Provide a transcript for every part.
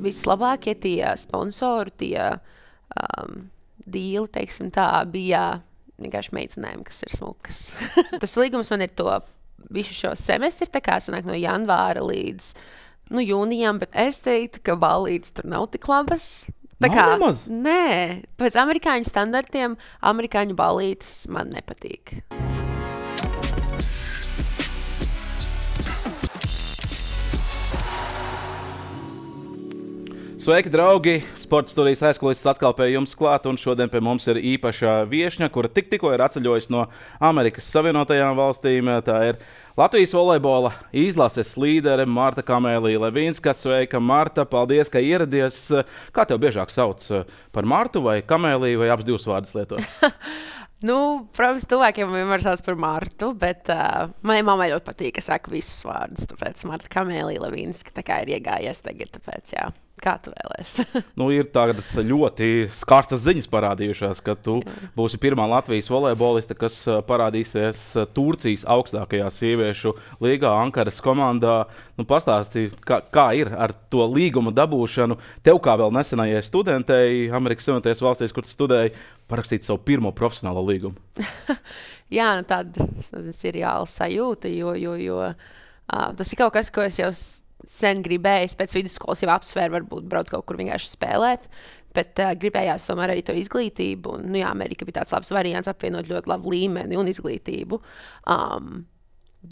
vislabākie tie sponsori, tie dīli, teiksim tā, bija vienkārši meitenēm, kas ir smukas. Tas līgums man ir to visu šo semestri, tā kā sanāk no janvāra līdz jūnijam, bet es teiktu, ka ballītes tur nav tik labas. Nē, pēc amerikāņu standartiem amerikāņu ballītes man nepatīk. Sveiki, draugi! Sporta studijas aizkulises atkal pie jums klāt, un šodien pie mums ir īpaša viešņa, kura tikko ir atceļojusi no Amerikas Savienotajām valstīm. Tā ir Latvijas volejbola izlases līdere Marta Kamēlija Levīnska. Sveika, Marta! Paldies, ka ieradies. Kā tev biežāk sauc, par Martu vai Kamēliju, vai abas divas vārdus lieto? Protams, tuvākiem vienmēr sauc par Martu, bet manai mammai ļoti patīk, ka saka visus vārdus. Tāpēc Marta Kamēlija Levīnska tā kā ir iegājies tagad, tāpēc jā. Kā tu vēlies? Ir tādas ļoti skarstas ziņas parādījušās, ka tu būsi pirmā Latvijas volejboliste, kas parādīsies Turcijas augstākajā sieviešu līgā, Ankaras komandā. Pastāstīji, kā ir ar to līguma dabūšanu. Tev kā vēl nesenajai studentei Amerikas Savienotajās valstīs, kur tu studēji, parakstīt savu pirmo profesionālo līgumu. Jā, tāda ir reāla sajūta, jo tas ir kaut kas, ko es jau sen gribējis, pēc vidusskolas jau apsvēru, varbūt braukt kaut kur vienkārši spēlēt, bet gribējās tomēr arī to izglītību. Un, Amerika bija tāds labs variants apvienot ļoti labu līmeni un izglītību.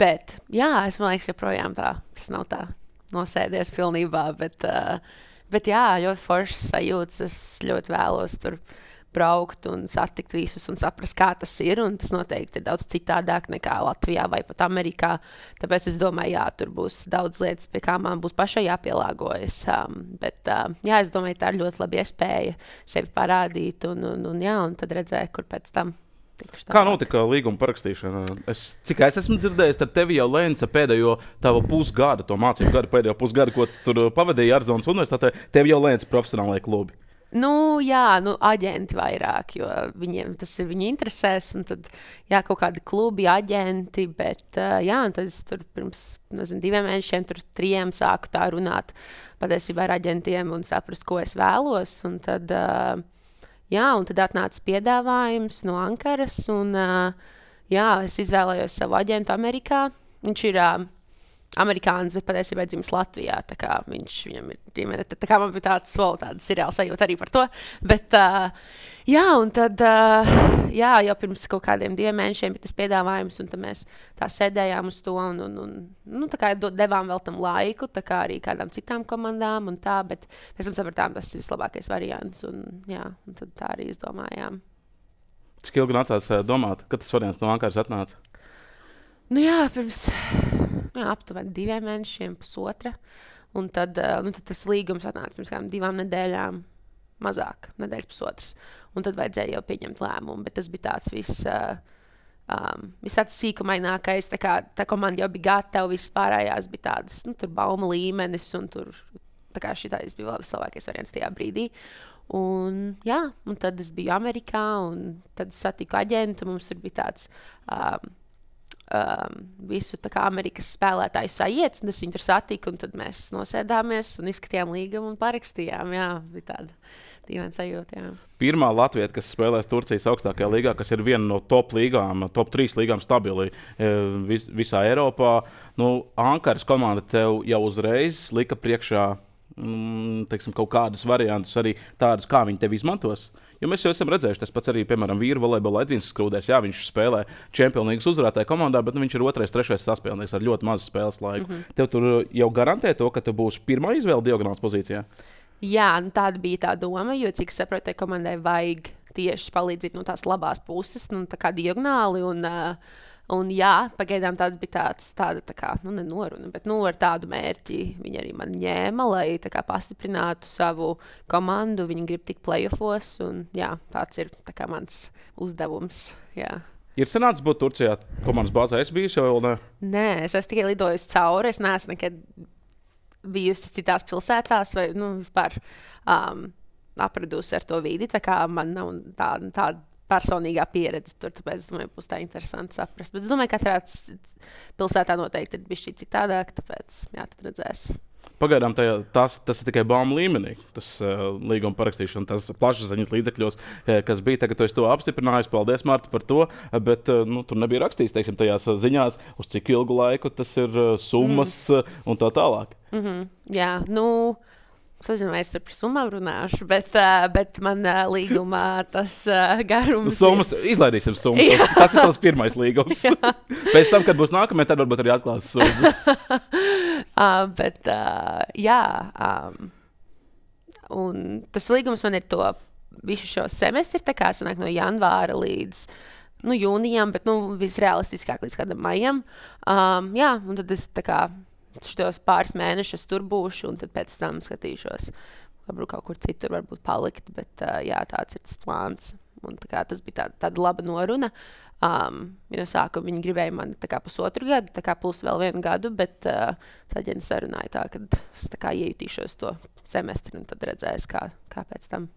Bet, es man liekas, joprojām tas nav tā nosēdies pilnībā, bet ļoti foršas sajūtas, es ļoti vēlos tur braukt un satikt visus un saprast, kā tas ir, un tas noteikti ir daudz citādāk nekā Latvijā vai pat Amerikā, tāpēc es domāju, tur būs daudz lietas, pie kā man būs pašai jāpielāgojas, bet es domāju, tā ir ļoti laba iespēja sevi parādīt un tad redzēt, kur pēc tam. Kā notika līguma parakstīšana? Cik es esmu dzirdējis, tad tevi jau Lēnca pēdējo tavu pusgadu, to mācību gadu, pēdējo pusgadu, ko tu tur pavadīji Arizonas universitātē, tevi jau Lēnca profesionālajie klubi. Aģenti vairāk, jo tas ir viņa interesēs, un tad, kaut kādi klubi, aģenti, bet, un tad es tur pirms, 2 mēnešiem, 3 sāku tā runāt patiesībā ar aģentiem un saprast, ko es vēlos, un tad atnāca piedāvājums no Ankaras, un, es izvēlējos savu aģentu Amerikā. Viņš ir amerikānis, bet patiesībā dzimis Latvijā, tā kā viņam ir ģimene, tā kā man bija tāda seriāla sajūta arī par to, bet, un tad, jau pirms kaut kādiem 2 mēnešiem bija tas piedāvājums, un tad mēs tā sēdējām uz to, un tā kā devām vēl tam laiku, tā kā arī kādām citām komandām, un tā, bet mēs tam sapratām, tas ir vislabākais variants, un tad tā arī izdomājām. Cik ilgi nācās domāt, kad tas variants no Ankaras atnāca? Pirms aptuveni 2 mēnešiem, 1,5. Un tad tas līgums atnāca pirms kādām 2 nedēļām, mazāk, 1,5 nedēļas. Un tad vajadzēja jau pieņemt lēmumu, bet tas bija tāds viss tāds sīkumainākais, tā komanda jau bija gatava, viss pārējās bija tādas, tur bauma līmenis, un tur, tā kā šitais bija vislabākais variants tajā brīdī. Un tad es biju Amerikā, un tad satiku aģentu, mums tur bija tāds visu tā kā Amerikas spēlētāju sajiets, un es viņu tur satiku, un tad mēs nosēdāmies un izskatījām līgumu un parakstījām. Bija tāda dīvaina sajūta. Pirmā latvieta, kas spēlēs Turcijas augstākajā līgā, kas ir viena no top 3 līgām stabili visā Eiropā. Ankaras komanda tev jau uzreiz lika priekšā kaut kādus variantus, arī tādus, kā viņi tevi izmantos. Jo mēs jau esam redzējuši, tas pats arī, piemēram, vīru volejbola Edvins Skrūders. Viņš spēlē Čempionu līgas uzvarētāju komandā, bet viņš ir 2., 3. saspēlnieks ar ļoti mazu spēles laiku. Tev tur jau garantē to, ka tu būsi pirmā izvēle diagonāls pozīcijā? Tāda bija tā doma, jo, cik saprotu, komandai vajag tieši palīdzīt no tās labās puses, tā kā diagonāli, un pagaidām tāds bija tāda kā, nenoruna, bet ar tādu mērķi viņi arī man ņēma, lai tā kā pastiprinātu savu komandu, viņi grib tikt playoffos, un tāds ir tā kā mans uzdevums, Ir sanācis būt Turcijā komandas bāzē, es bijusi jau, ne? Nē, es tikai lidojusi cauri, es neesmu nekad bijusi citās pilsētās, vai, vispār apradusi ar to vidi, tā kā man nav tāda personīgā pieredze tur, tāpēc, domāju, būs tā interesanti saprast. Bet es domāju, ka katrā pilsētā noteikti ir bišķi citādāk, tāpēc, tad redzēs. pagaidām tas ir tikai baumu līmenī. Tas līguma parakstīšana, tas plašsaziņas līdzekļos, kas bija tagad, to apstiprinājis. Paldies, Marta, par to. Bet tur nebija rakstīts, teiksim, tajās ziņās, uz cik ilgu laiku tas ir summas un tā tālāk. Jā, es nezinu, vai es par summām runāšu, bet man līgumā tas garums summas, izlaidīsim summas. Tas ir tas pirmais līgums. Pēc tam, kad būs nākamie, tad varbūt arī atklās summas. Un tas līgums man ir to visu šo semestri, tā kā sanāk no janvāra līdz jūnijam, bet visrealistiskāk līdz kādam maijam. Un tad es tā kā šitos pāris mēnešus tur būšu, un tad pēc tam skatīšos, varbūt kaut kur citur varbūt palikt, bet tāds ir tas plāns. Un tas bija tāda laba noruna. No sākuma viņi gribēja mani 1,5 gadu, plus vēl 1 gadu, bet aģents sarunāja tā, ka es iejutīšos to semestri, un tad redzēs, kā pēc tam.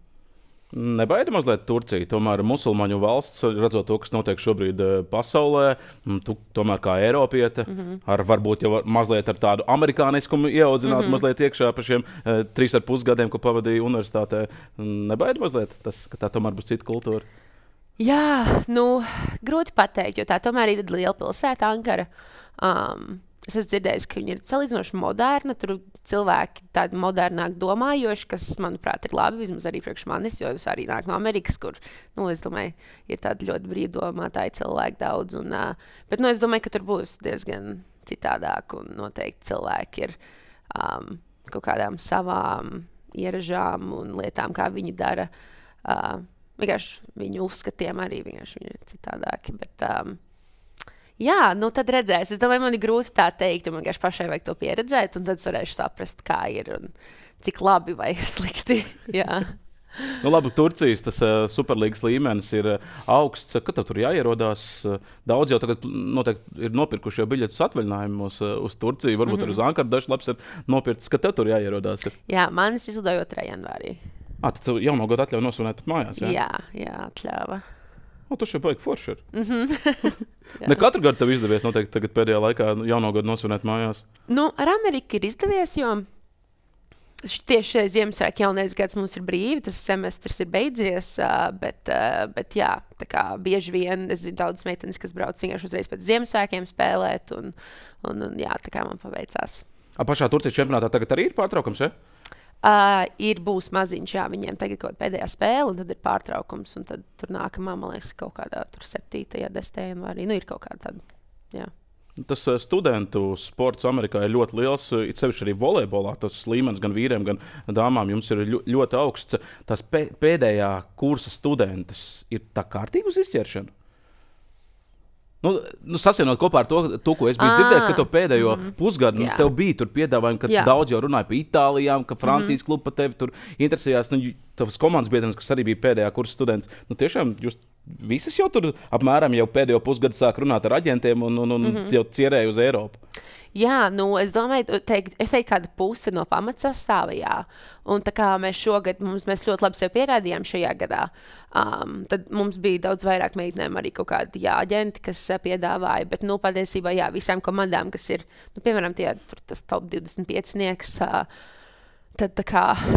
Nebaida mazliet Turcija, tomēr musulmaņu valsts, redzot to, kas notiek šobrīd pasaulē, tu tomēr kā Eiropiete, varbūt jau mazliet ar tādu amerikāniskumu ieaudzināt mazliet iekšā par šiem 3,5 gadiem, ko pavadīja universitātē. Nebaida mazliet tas, ka tā tomēr būs cita kultūra? Jā, grūti pateikt, jo tā tomēr ir liela pilsēta, Ankara. Es esmu dzirdējis, ka viņi ir salīdzinoši moderni, tur cilvēki tādi modernāk domājoši, kas, manuprāt, ir labi, vismaz arī priekš manis, jo es arī nāku no Amerikas, kur, es domāju, ir tādi ļoti brīvdomātāji cilvēki daudz. Bet es domāju, ka tur būs diezgan citādāk, un noteikti cilvēki ir kaut kādām savām ieražām un lietām, kā viņi dara. Vienkārši viņu uzskatiem arī vienkārši viņi ir citādāki, bet... tad redzēs. Es domāju, man ir grūti tā teikt, jo man vienkārši pašai vajag to pieredzēt, un tad es varēšu saprast, kā ir un cik labi vai slikti. Jā. Labi, Turcijas tas superlīgas līmenis ir augsts. Kad tev tur jāierodās? Daudz jau tagad noteikti ir nopirkuši jau biļetes atvaļinājumos uz Turciju. Varbūt arī uz Ankaru dažs labs ir nopirkts. Kad tev tur jāierodās? Jā, man es izlidoju 2. janvārī. Tad tu jauno gadu atļauj nosvinēt pat mājās, jā? Jā, atļāva. Tu šeit baigi forši ir. Ne katru gadu tev izdevies noteikti tagad pēdējā laikā jauno gadu nosvinēt mājās? Ar Ameriku ir izdevies, jo tieši šai Ziemassvētku jaunais gads mums ir brīvi, tas semestrs ir beidzies, bet jā, tā kā bieži vien es zinu daudz meitenes, kas brauc vienkārši uzreiz pēc Ziemassvētkiem spēlēt, un jā, tā kā man paveicās. Pašā Turcijas čempionātā tagad arī ir pārtraukums, ja? Būs maziņš, jā, viņiem tagad kaut pēdējā spēle, un tad ir pārtraukums, un tad tur nākamā, man liekas, kaut kādā 7. 10. janvārī, ir kaut kāda tāda, jā. Tas studentu sports Amerikā ir ļoti liels, it sevišķi arī volejbolā, tas līmenis gan vīriem, gan dāmām jums ir ļoti augsts. Tas pēdējā kursa studentus ir tā kārtīgi uz izķeršanu? Sasienot kopā ar to, ko es biju dzirdējis, ka to pēdējo pusgadu tev bija tur piedāvājumi, ka daudz jau runāja par Itālijām, ka Francijas klubu par tevi tur interesējās. Tavas komandas biedrenes, kas arī bija pēdējā kursa students, tiešām jūs visas jau tur apmēram jau pēdējo pusgadu sāk runāt ar aģentiem un jau cierēja uz Eiropu. Jā, es domāju, es teiktu kāda puse no pamatsastāva, jā. Un tā kā mēs šogad, mēs ļoti labi sev pierādījām šajā gadā, tad mums bija daudz vairāk meitenēm arī kaut kādi aģenti, kas piedāvāja, bet, patiesībā, jā, visām komandām, kas ir, piemēram, tas top 25-nieks, tad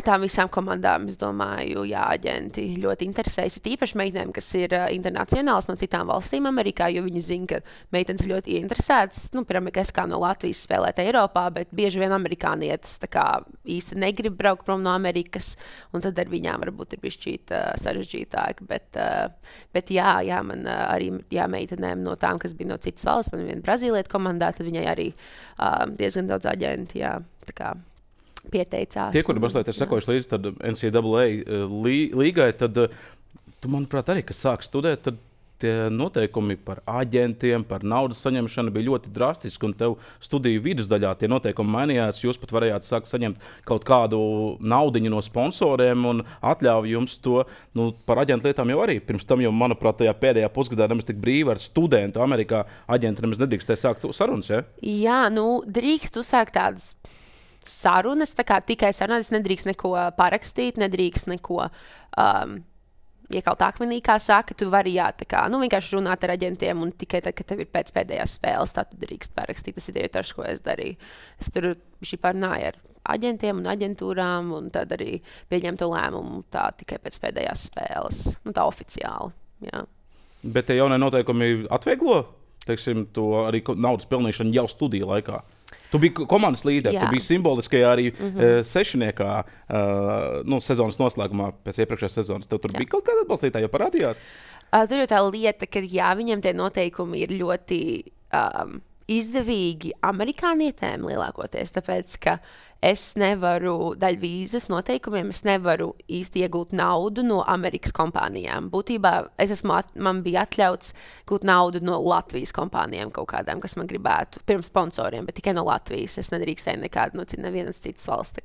tām visām komandām, es domāju, jā, aģenti ļoti interesējas. Ir īpaši meitenēm, kas ir internacionāls no citām valstīm Amerikā, jo viņi zina, ka meitenes ļoti ieinteresētas. Piemēram, es kā no Latvijas spēlēt Eiropā, bet bieži vien amerikānietis īsti negrib braukt prom no Amerikas, un tad ar viņām varbūt ir bišķīt sarežģītāk. Bet jā, man arī meitenēm no tām, kas bija no citas valsts, man viena brazīlieta komandā, tad viņai arī diezgan daudz aģenti, jā, tā kā pieteicās. Tie, kuri mazliet ir sekojuši līdzi tad NCAA līgai, tad tu, manuprāt, arī, kas sāk studēt, tad tie noteikumi par aģentiem, par naudas saņemšanu bija ļoti drastiski, un tev studiju vidusdaļā tie noteikumi mainījās. Jūs pat varējāt sākt saņemt kaut kādu naudiņu no sponsoriem un atļauju jums to. Par aģentu lietām jau arī. Pirms tam jau, manuprāt, tajā pēdējā pusgadā nemaz tik brīvi ar studentu Amerikā aģenti nemaz nedrīkstēja sākt sarunas, ja? Jā, drīkst uzsākt tādas sarunas, tikai sarunāt, es nedrīkst neko parakstīt, nedrīkst neko iekalt akmenī, kā saka, tu vari, jā, vienkārši runāt ar aģentiem, un tikai tad, kad tev ir pēc pēdējās spēles, tad tu drīkst parakstīt. Tas ir tieši tas, ko es darīju. Es tur parunāju ar aģentiem un aģentūrām, un tad arī pieņemtu lēmumu tā tikai pēc pēdējās spēles. Tā oficiāli. Jā. Bet tie jaunie noteikumi atvieglo, teiksim, to arī naudas pelnīšanu jau studiju laikā. Tu biji komandas līderis, tu biji simboliskajā arī sešniekā sezonas noslēgumā pēc iepriekšējās sezonas. Tev tur bija kaut kāda atbalstītāja, jau parādījās? Tur jau tā lieta, ka viņiem tie noteikumi ir ļoti izdevīgi amerikānietēm lielākoties, tāpēc, ka es nevaru daļu vīzas noteikumiem, es nevaru īsti iegūt naudu no Amerikas kompānijām. Būtībā man bija atļauts gūt naudu no Latvijas kompānijām kaut kādām, kas man gribētu, pirms sponsoriem, bet tikai no Latvijas. Es nedrīkstēju nekādu nevienas citas valsts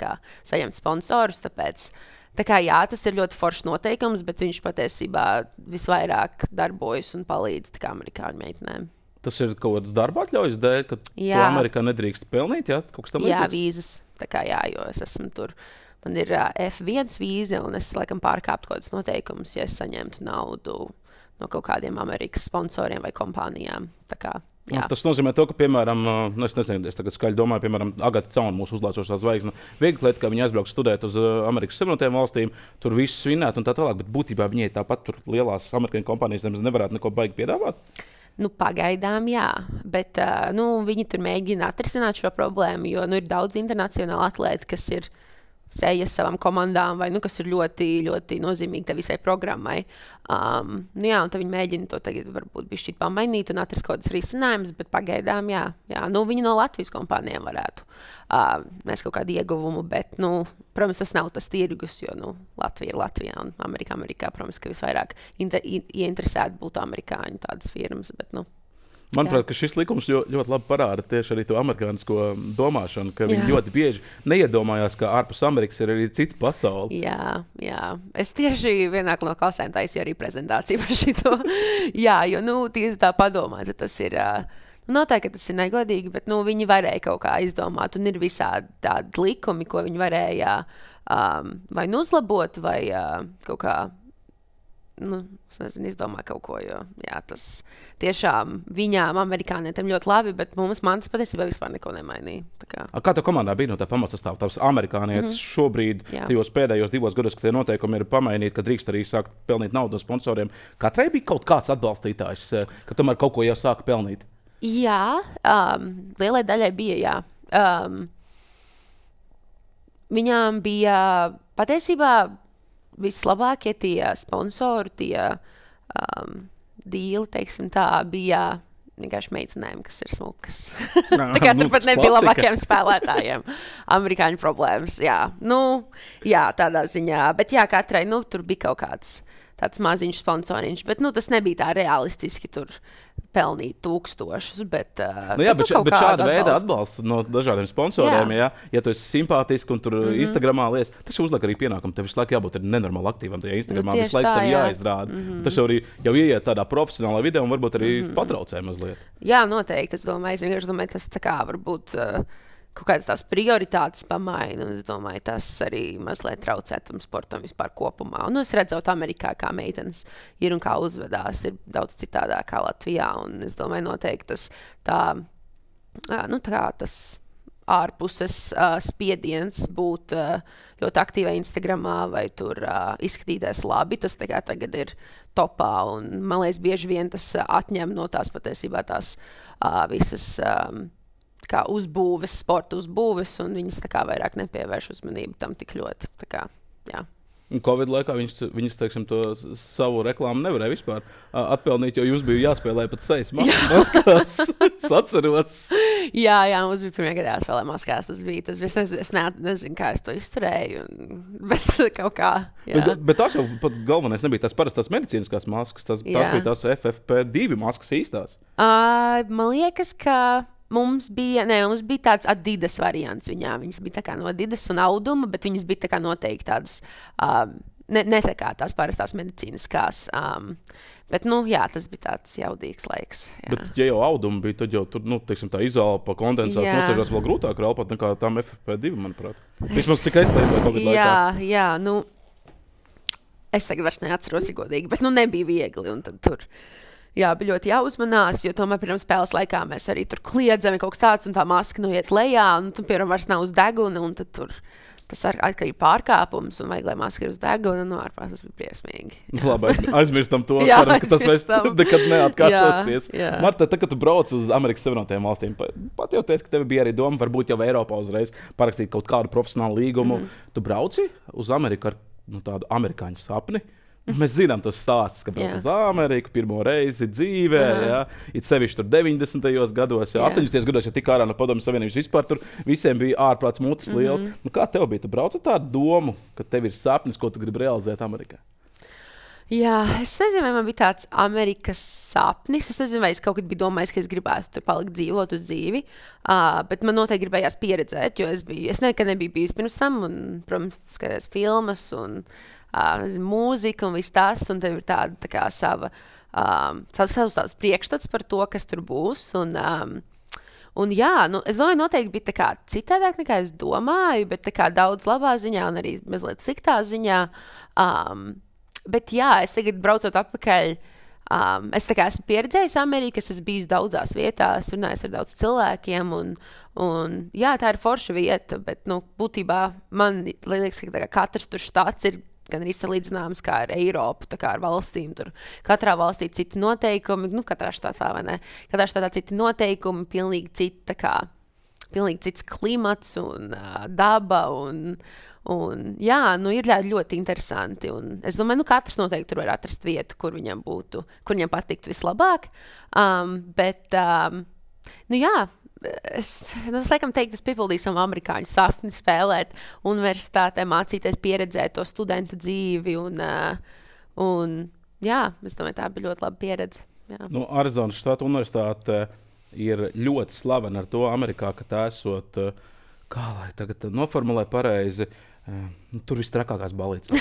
saņemt sponsorus, tāpēc tas ir ļoti foršs noteikums, bet viņš patiesībā visvairāk darbojas un palīdz amerikāņu meitenēm. Tas ir kaut kāds darba atļaujas dēļ, ka tu Amerikā nedrīkst pelnīt, ja? Kaut kas tam līdzīgs? Jā, vīzas. Jo es esmu tur. Man ir F1 vīza, un es laikam pārkāptu kaut kādus noteikumus, ja es saņemtu naudu no kaut kādiem Amerikas sponsoriem vai kompānijām. Tas nozīmē to, ka, piemēram, es nezinu, es tagad skaļi domāju, piemēram, Agata Cauna, mūsu uzlācošā zvaigzne, viegli lieta, ka viņi aizbrauks studēt uz Amerikas Savienotajām valstīm, tur viss svinēt un tā tālāk, bet būtībā viņai tāpat tur lielās amerikāņu kompānijas nemaz nevarētu neko baigi piedāvāt. Pagaidām, jā, bet viņi tur mēģina atrisināt šo problēmu, jo ir daudz internacionālu atlētu, kas ir sejas savām komandām, vai kas ir ļoti, ļoti nozīmīgi visai programmai. Un tad viņi mēģina to tagad varbūt bišķīt pamainīt un atrast kaut kādas risinājumus, bet pagaidām, jā. Viņi no Latvijas kompānijām varētu mēs kaut kādu ieguvumu, bet, protams, tas nav tas tirgus, jo, Latvija ir Latvijā un Amerikā, protams, ka visvairāk ieinteresēti būtu amerikāņu tādas firmas, bet, Manuprāt, ka šis likums ļoti labi parāda tieši arī to amerikānisko domāšanu, ka viņi ļoti bieži neiedomājās, ka ārpus Amerikas ir arī cita pasaule. Jā. Es tieši vienā no klasēm taisīju arī prezentāciju par šito. Jo, tieši tā padomāt, tas ir, noteikti, ka tas ir negodīgi, bet, viņi varēja kaut kā izdomāt, un ir visādi tādi likumi, ko viņi varēja vai uzlabot, vai kaut kā, es nezinu, izdomā kaut ko, jo tas tiešām viņām, amerikānietiem ļoti labi, bet man tas patiesībā vispār neko nemainīja. Kā tev komandā bija no tā pamatsastāvā? Tavs amerikānietis šobrīd, tajos pēdējos 2 gados, kad tie noteikumi ir pamainīti, ka drīkst arī sākt pelnīt naudu no sponsoriem, katrai bija kaut kāds atbalstītājs, ka tomēr kaut ko jau sāka pelnīt? Jā, lielai daļai bija, viņām bija patiesībā vislabākie tie sponsori, tie dīli, teiksim tā, bija vienkārši meitenēm, kas ir smukas. Turpat nebija labākiem spēlētājiem. Amerikāņu problēmas, tādā ziņā. Bet katrai, tur bija kaut kāds tāds maziņš sponsoriņš, bet tas nebija tā realistiski tur pelnīt tūkstošus, bet šāda veida atbalsts no dažādiem sponsoriem, ja tu esi simpātisks un tur Instagramā lies, tas uzliek arī pienākumu, tev visu laiku jābūt nenormāli aktīvam tajā Instagramā, visu laiku sev jāizrāda. Tas jau ieiet tādā profesionālā vidē un varbūt arī patraucē mazliet. Jā, noteikti, es domāju, tas tā kā varbūt kaut kādas tās prioritātes pamaina, un es domāju, tas arī mazliet traucē tam sportam vispār kopumā. Un es redzu, Amerikā, kā meitenes ir un kā uzvedās, ir daudz citādāk kā Latvijā, un es domāju, noteikti tas ārpuses spiediens būt ļoti aktīvai Instagramā vai tur izskatīties labi, tas tagad ir topā, un man liekas, bieži vien tas atņem no tās patiesībā tās visas kā uzbūves, sporta uzbūves, un viņas vairāk nepievērš uzmanību tam tik ļoti. Covid laikā viņas teiksim, to savu reklāmu nevarēja vispār atpelnīt, jo jūs bija jāspēlē pat sejas maskās. Es atceros. Jā, mums bija pirmajā gadā jāspēlē maskās. Es nezinu, kā es to izturēju, bet kaut kā. Bet tās jau pat galvenais nebija tās parastās medicīniskās maskas, tās bija tās FFP2 maskas īstās. Man liekas, ka mums bija tāds Adidas variants viņām. Viņas bija tā kā no Adidas un auduma, bet viņas bija tā kā noteikti tādas, ne tā kā tās parastās medicīniskās. Bet, tas bija tāds jaudīgs laiks. Jā. Bet, ja jau auduma bija, tad jau tur, teiksim, tā izolpa kondensāts nosēžās vēl grūtāk rāpāt nekā tām FFP2, manuprāt. Vismaz cik es lietoju Covid laikā. Jā, es tagad vairs neatceros godīgi, bet, nebija viegli, un tad tur. Jā, bija ļoti jāuzmanās, jo tomēr pirms spēles laikā mēs arī tur kliedzam, kaut kas tāds, un tā maska iet lejā, un tu, piemēram, vairs nav uz deguna, un tad tur tas atkal ir pārkāpums, un vajag, lai maska ir uz deguna, un ārpās tas bija briesmīgi. Labi, aizmirstam to, Jā, ceram, ka tas vairs nekad neatkārtosies. Jā. Marta, tad, kad tu brauc uz Amerikas Savienotajām valstīm, pat jau teici, ka tev bija arī doma, varbūt jau Eiropā uzreiz parakstīt kaut kādu profesionālu līgumu. Tu brauci uz Ameriku ar tādu amerikāņu sapni? Mēs zinām, tas stāsts, ka brauc uz Ameriku pirmo reizi dzīvē, it sevišķi tur 90. gados, 80. gados, ja tika ārā no Padomju Savienības vispār, tur visiem bija ārprāts mutes liels. Nu, kā tev bija? Tu brauc ar tādu domu, ka tev ir sapnis, ko tu gribi realizēt Amerikā? Jā, es nezinu, vai man bija tāds Amerikas sapnis. Es nezinu, vai es kaut kad biju domājis, ka es gribētu tur palikt dzīvot uz dzīvi, bet man noteikti gribējās pieredzēt, jo es nekad nebiju bijis pirms tam, un, protams, skatījos filmas un mūzika un viss tas, un tev ir tāda tā kā savs priekšstats par to, kas tur būs. Un jā, es domāju, noteikti bija tā kā citādāk nekā es domāju, bet tā kā daudz labā ziņā un arī mazliet sliktā ziņā. Bet jā, es tagad braucot atpakaļ, es tā kā esmu pieredzējis Ameriku, es esmu bijis daudzās vietās, runājis ar daudz cilvēkiem, un jā, tā ir forša vieta, bet, būtībā man liekas, ka katrs tur štats ir gan arī salīdzināms kā ar Eiropu, tā kā ar valstīm. Tur katrā valstī citi noteikumi, katrā štatā, vai ne? Katrā štatā citi noteikumi, pilnīgi cits klimats un daba un jā, ir ļoti interesanti. Un es domāju, katrs noteikti tur var atrast vietu, kur viņam patikt vislabāk. Bet, jā, es laikam teiktu, es piepildīju savu amerikāņu sapni spēlēt universitātē, mācīties, pieredzēt to studentu dzīvi. Un jā, es domāju, tā bija ļoti laba pieredze. Jā. Arizonas štata universitāte ir ļoti slavena ar to Amerikā, ka tā esot, kā lai tagad noformulē pareizi, tur viss trakākās balītes.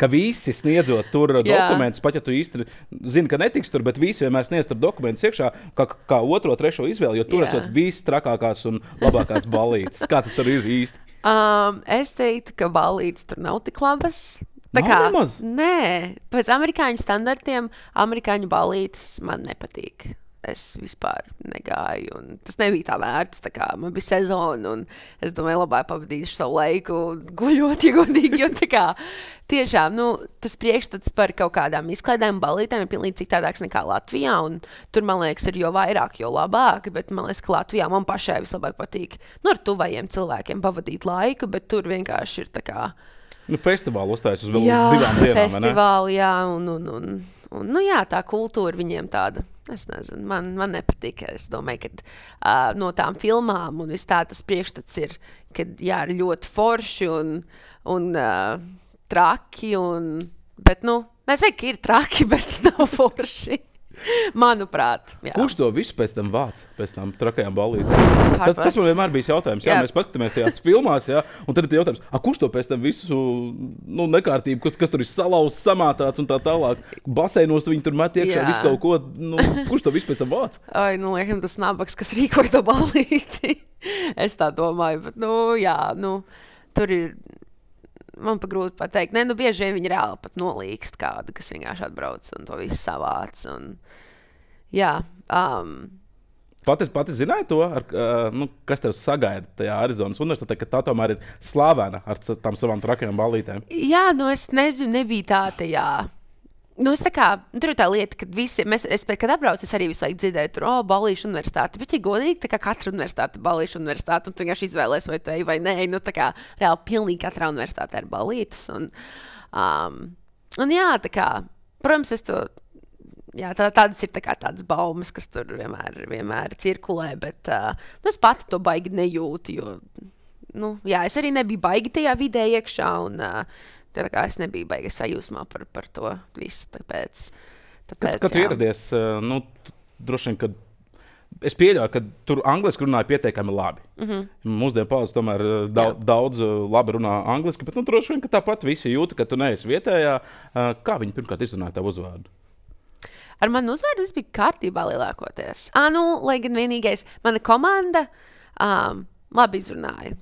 Ka visi sniedzot tur dokumentus, pat ja tu īsti zini, ka netiks tur, bet visi vienmēr sniedz tur dokumentus iekšā kā otro, trešo izvēli, jo tur esot viss trakākās un labākās balītes. Kā tur ir īsti? Es teiktu, ka balītes tur nav tik labas. Nē, pēc amerikāņu standartiem amerikāņu balītes man nepatīk. Es vispār negāju, un tas nebija tā vērts. Tā kā man bija sezona, un es domāju, labāk pavadīšu savu laiku guļot, ja godīgi. Jo tiešām tas priekšstats par kaut kādām izklaidēm, balītēm ir pilnīgi citādāks nekā Latvijā. Tur, man liekas, ir jo vairāk, jo labāk. Bet man liekas, ka Latvijā man pašai vislabāk patīk ar tuvajiem cilvēkiem pavadīt laiku, bet tur vienkārši ir tā kā. Festivālu uzstājas uz vēl 2 dienām. Festivāli, jā, un jā, tā kultūra viņiem tāda. Es nezinu, man nepatīk. Es domāju, ka no tām filmām un viss tā tas priekšstats ir, ka jā, ir ļoti forši un traki. Bet, es teiktu, ka ir traki, bet nav forši. Manuprāt. Jā. Kurš to visu pēc tam vāc, pēc tam trakajām balītēm? Tas man vienmēr bija jautājums. Jā, mēs paskatāmies tajās filmās, un tad ir jautājums, kurš to pēc tam visu nekārtību, kas tur ir salauzts, samātāts un tā tālāk. Baseinos viņi tur met iekšā visu kaut ko. Kurš to visu pēc tam vāc? Laikam tas nabaks, kas rīkoja to balīti. Es tā domāju, bet, jā, tur ir. Man pa grūti pateikt. Bieži vien viņi reāli pat nolīkst kādu, kas vienkārši atbrauc un to visu savāc. Jā. Pati zināji to, kas tev sagaida tajā Arizonas universitātē, ka tā tomēr ir slavena ar tām savām trakajām balītēm? Jā, es nebiju tā tajā. Tur ir tā lieta, ka kad atbraucu, es arī visu laiku dzirdēju, tur balīšu universitāti. Bet, ja godīgi, tā kā katra universitāte ir balīšu universitāte, un tu vienkārši izvēlēs, vai tu ej vai nē. Reāli pilnīgi katrā universitātē ir balītes. Un jā, protams, tādas ir tādas baumas, kas tur vienmēr cirkulē, bet es pati to baigi nejūtu, jo, es arī nebiju baigi tajā vidē iekšā, un tā kā es nebiju baigi sajūsmā par to visu, tāpēc kad tu ieradies, droši vien, kad es pieļauju, ka tur angliski runāja pietiekami labi. Mūsdienu paudze tomēr daudz labi runā angliski, bet droši vien, ka tāpat visi jūta, ka tu neesi vietējā. Kā viņi pirmkārt izrunāja tavu uzvārdu? Ar manu uzvārdu viss bija kārtībā lielākoties. Lai gan vienīgais, mana komanda, labi izrunāja.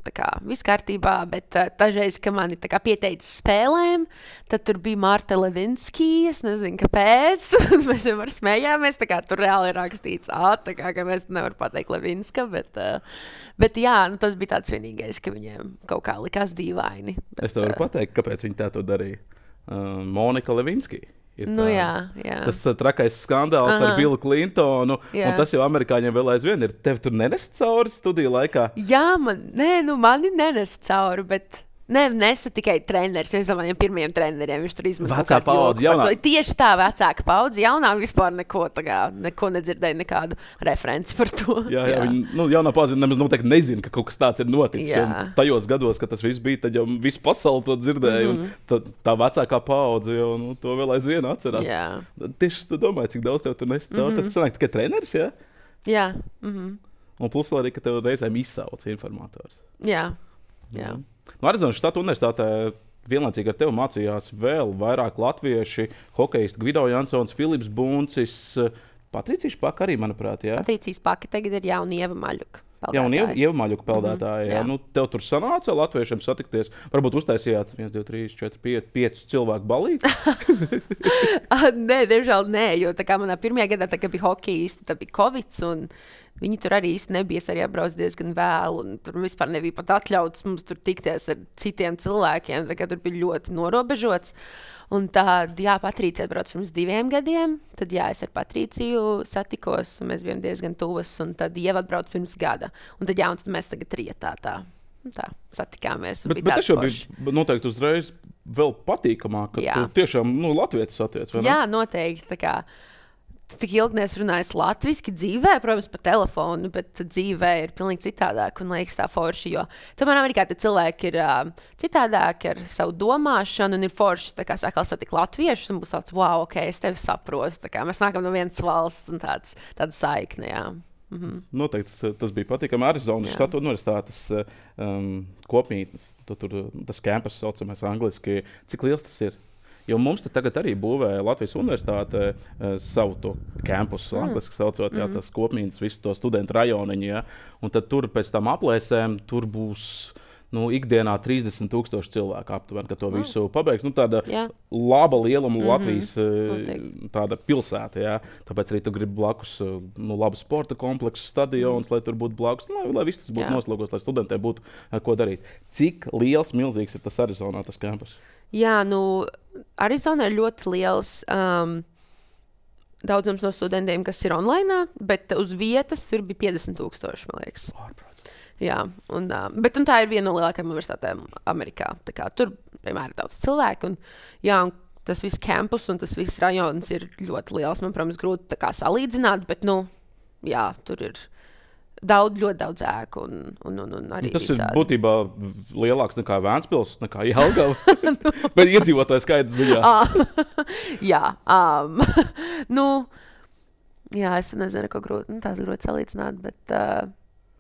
Viss kārtībā, bet dažreiz, kad mani pieteica spēlēm, tad tur bija Marta Levinski, es nezinu, kāpēc. Mēs vienmēr smējāmies, tur reāli ir rakstīts ka mēs nevaram pateikt Levinska, bet jā, tas bija tāds vienīgais, ka viņiem kaut kā likās dīvaini. Es tev varu pateikt, kāpēc viņi tā to darīja. Monika Levinski. Jā. Tas trakais skandāls ar Billu Clintonu, un tas jau amerikāņiem vēl aizvien ir. Tev tur nenes cauri studiju laikā? Jā, mani nenes cauri, bet nesa tikai treneris. Es domāju, pirmajiem treneriem viņš tur izmantoja. Vecā paudze, jaunā. Tieši tā, vecāka paudze, jaunā vispār neko nedzirdēja, nekādu referenci par to. Jā. Viņi, jaunā paudze nemaz noteikti nezina, ka kaut kas tāds ir noticis. Un tajos gados, kad tas viss bija, tad jau visu pasauli to dzirdēja, un tā vecākā paudze jau to vēl aizvien atcerās. Jā. Tieši tu domāji, cik daudz tev tur nes cauri, tad sanāk tikai treneris, jā? Jā. Un plus arī, ka tev reizēm izsauc informators. Jā. Arizonas štata universitātē vienlaicīgi ar tevi mācījās vēl vairāk latvieši, hokejisti Gvido Jansons, Filips Buncis, Patricija Špaka arī, manuprāt, jā? Patricija Špaka tagad ir jauna Ieva Maļuka. Jā, un Ieva Maļuka peldētāja. Jā. Tev tur sanāca latviešiem satikties. Varbūt uztaisījāt 1, 2, 3, 4, 5 cilvēku balīti? Nē, diemžēl nē, jo manā pirmajā gadā, kad bija hokejisti, tad bija Covid, un viņi tur arī īsti nebija. Es arī atbraucu diezgan vēlu, un tur vispār nebija pat atļauts mums tur tikties ar citiem cilvēkiem. Tur bija ļoti norobežots. Un tad, Patricija atbrauca pirms 2 gadiem. Tad, es ar Patriciju satikos, un mēs bijām diezgan tuvas. Un tad Ieva atbrauca pirms gada. Un tad mēs tagad trietā tā satikāmies. Bet tas jau bija noteikti uzreiz vēl patīkamāk, ka tu tiešām latvietis satiec, vai ne? Jā, noteikti. Tik ilgi neesmu runājis latviski dzīvē, protams, pa telefonu, bet dzīvē ir pilnīgi citādāk un liekas tā forši, jo tomēr Amerikā tie cilvēki ir citādāki ar savu domāšanu un ir forši, sākal satikt latviešus un būs tāds, wow, ok, es tevi saprotu, mēs nākam no vienas valsts un tāda saikne, jā. Noteikti tas bija patīkami. Arizonas štata universitātes kopmītnes, tas campus saucamais angliski, cik liels tas ir? Jo mums tagad arī būvē Latvijas universitāte savu to kampusu, angliski saucot, tas kopmītnes, visu to studentu rajoniņu. Ja? Un tad tur pēc tam aplēsēm tur būs ikdienā 30,000 cilvēku aptuveni, ka to visu pabeigs. Tāda laba lieluma Latvijas tāda pilsēta. Ja? Tāpēc arī tu gribi blakus labu sporta kompleksu, stadions, lai tur būtu blakus, lai viss tas būtu noslogos, lai studentiem būtu ko darīt. Cik liels, milzīgs ir tas Arizonā, tas kampus? Jā, Arizona ir ļoti liels daudzums no studentiem, kas ir online, bet uz vietas tur bija 50,000, man liekas. Jā, bet tā ir viena no lielākajām universitātēm Amerikā. Tur vienmēr ir daudz cilvēku. Un tas viss campus un tas viss rajons ir ļoti liels. Man, protams, grūti salīdzināt, bet tur ir ļoti daudz ēku un arī tas visādi. Ir būtībā lielāks nekā Vēncpils, nekā Jelgava, bet iedzīvotāju skaita ziņā. Es nezinu, ko grūti salīdzināt, bet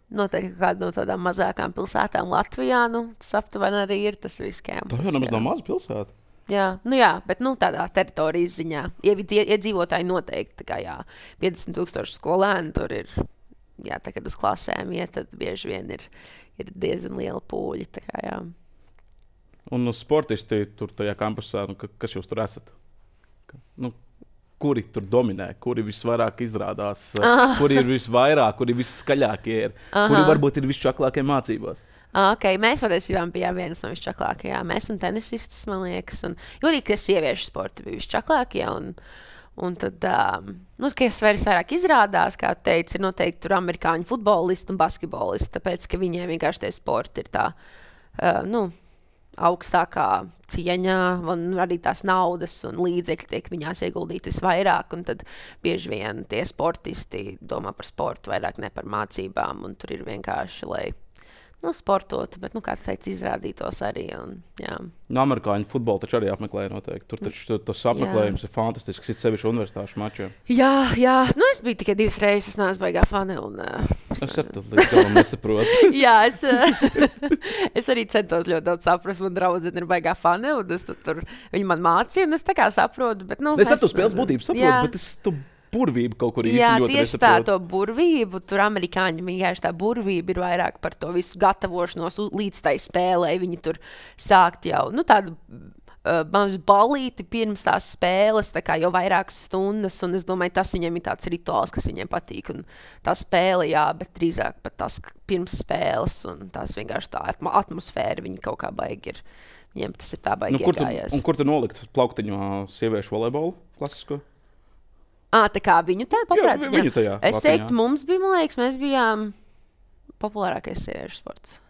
noteikti kāda no tādām mazākām pilsētām Latvijā, tas aptuveni arī ir tas viss campus. Tā jau nemaz nav maza pilsēta. Jā, bet tādā teritorijas ziņā. Iedzīvotāji noteikti, 50,000 skolēni tur ir. Jā, kad uz klasēm iet, tad bieži vien ir diezgan liela pūļa. Un sportisti tur tajā kampusā, kas jūs tur esat? Kuri tur dominē, kuri visvairāk izrādās, kuri ir visvairāk, kuri visskaļākie ir, kuri varbūt ir visčaklākie mācībās? Okay, mēs patiesībā bijām vienas no visčaklākajām. Mēs esam tenisistas, man liekas. Jūtīgi, ka sieviešu sporti bija visčaklākie. Un tad, kas vairāk izrādās, kā teica, ir noteikti tur amerikāņu futbolisti un basketbolisti, tāpēc, ka viņiem vienkārši tie sporti ir tā, augstākā cieņa, un arī tās naudas un līdzekļi tiek viņās ieguldīti visvairāk, un tad bieži vien tie sportisti domā par sportu vairāk ne par mācībām, un tur ir vienkārši, lai sportot, bet, kāds teica, izrādītos arī. Amerikāņu futbolu taču arī apmeklēja noteikti. Tur taču tas apmeklējums ir fantastisks, it sevišķi universitāšu mačiem. Jā. Es biju tikai 2 reizes, es neesmu baigā fane. Es ar to līdz galam nesaprotu. Jā, es arī centos ļoti daudz saprast. Man draudzene ir baigā fane, un viņi man mācīja, un es tā kā saprotu. Bet, es ar to spēles būtību saprotu, bet burvību kaut kur īsti Jā, ļoti tieši tā, nesaprotu. to burvību, tur amerikāņi vienkārši tā burvība ir vairāk par to visu gatavošanos līdz tai spēlē. Viņi tur sākt jau, nu, tādu mazu balīti pirms tās spēles, tā kā jau vairākas stundas, un es domāju, tas viņiem ir tāds rituāls, kas viņiem patīk, un tā spēle, jā, bet drīzāk pat tas pirms spēles, un tās vienkārši tā atmosfēra, viņi kaut kā baigi ir, viņiem tas ir tā baigi iegājies. Un kur tu nolikt plauktiņu sieviešu volejbolu klasisko? Tā kā viņu tā paprāt ziņā. Viņu tajā Es latiņā. teiktu, mums bija, man liekas, mēs bijām populārākais sieviešu sports.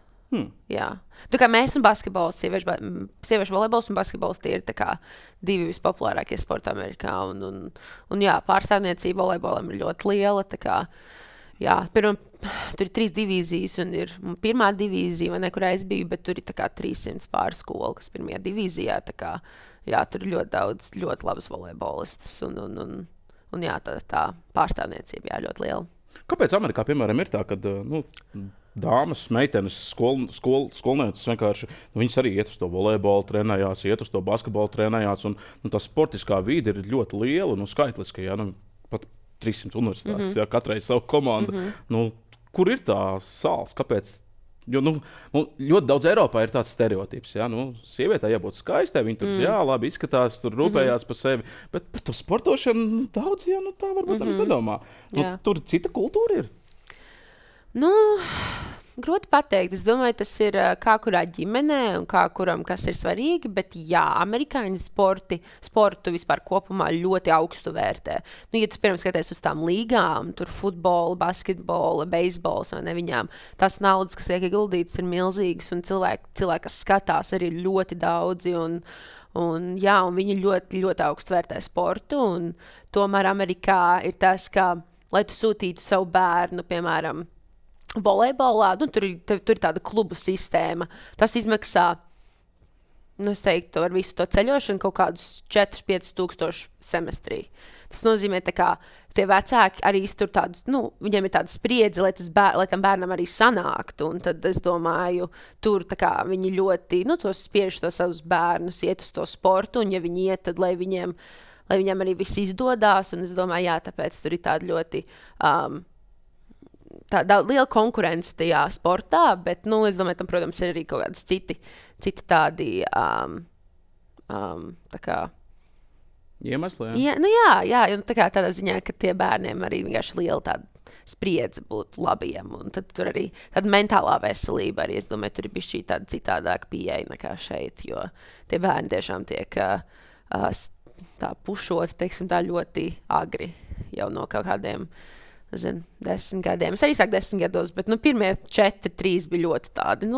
Jā. Tā kā mēs un basketbols, sieviešu volejbols un basketbols, tie ir tā kā divi vispopulārākie sporti Amerikā. Un jā, pārstāvniecība volejbolam ir ļoti liela. Tā kā, jā, tur ir 3 divīzijas un ir pirmā divīzija, vai ne, kur es biju, bet tur ir tā kā 300 pāri skolu, kas pirmajā divīzijā. Tā kā, jā, tur ir ļoti daudz, ļoti labas volejbolistas un jā, tā pārstāvniecība, jā, ļoti liela. Kāpēc Amerikā, piemēram, ir tā, ka dāmas, meitenes, skolnieces vienkārši, viņas arī iet uz to volejbolu trenējās, iet uz to basketbolu trenējās, un tā sportiskā vīde ir ļoti liela, skaitliska, jā, pat 300 universitātes, jā, katrai savu komandu. Kur ir tā sāls? Kāpēc? Jo ļoti daudz Eiropā ir tāds stereotips, jā, sievietē jābūt skaistai, viņa tur, jā, labi izskatās, tur rūpējās par sevi, bet par to sportošanu daudz, jā, tā varbūt tā nedomā. Tur cita kultūra ir. Grūti pateikt. Es domāju, tas ir kā kurā ģimenē un kā kuram kas ir svarīgi, bet jā, amerikāņu sportu vispār kopumā ļoti augstu vērtē. Ja tu, piemēram, skaties uz tām līgām, tur futbola, basketbola, beisbols, vai ne, viņām tās naudas, kas tiek ieguldītas, ir milzīgas, un cilvēki, kas skatās, arī ir ļoti daudzi, un viņi ļoti, ļoti augstu vērtē sportu, un tomēr Amerikā ir tas, ka, lai tu sūtītu savu bērnu, piemēram, volejbolā, tur ir tāda klubu sistēma. Tas izmaksā, es teiktu, ar visu to ceļošanu kaut kādus 4-5 tūkstoši semestrī. Tas nozīmē, ka tie vecāki arī tur tādus, viņiem ir tāda spriedze, lai tam bērnam arī sanāktu. Un tad es domāju, tur viņi ļoti, tos spiež to savus bērnus iet uz to sportu, un ja viņi iet, tad lai viņiem arī viss izdodās. Un es domāju, jā, tāpēc tur ir tāda ļoti tāda liela konkurence tajā sportā, bet, es domāju, tam, protams, ir arī kaut kādas citi tādi, tā kā... Iemesli, jā? Jā, tādā ziņā, ka tie bērniem arī vienkārši liela tāda spriedze būt labiem, un tad tur arī tāda mentālā veselība arī, es domāju, tur ir bišķī tāda citādāka pieeja nekā šeit, jo tie bērni tiešām tiek tā pušoti, teiksim, tā ļoti agri jau no kaut kādiem 10 gadiem. Es arī sāku 10 gados, bet pirmie 4-3 bija ļoti tādi,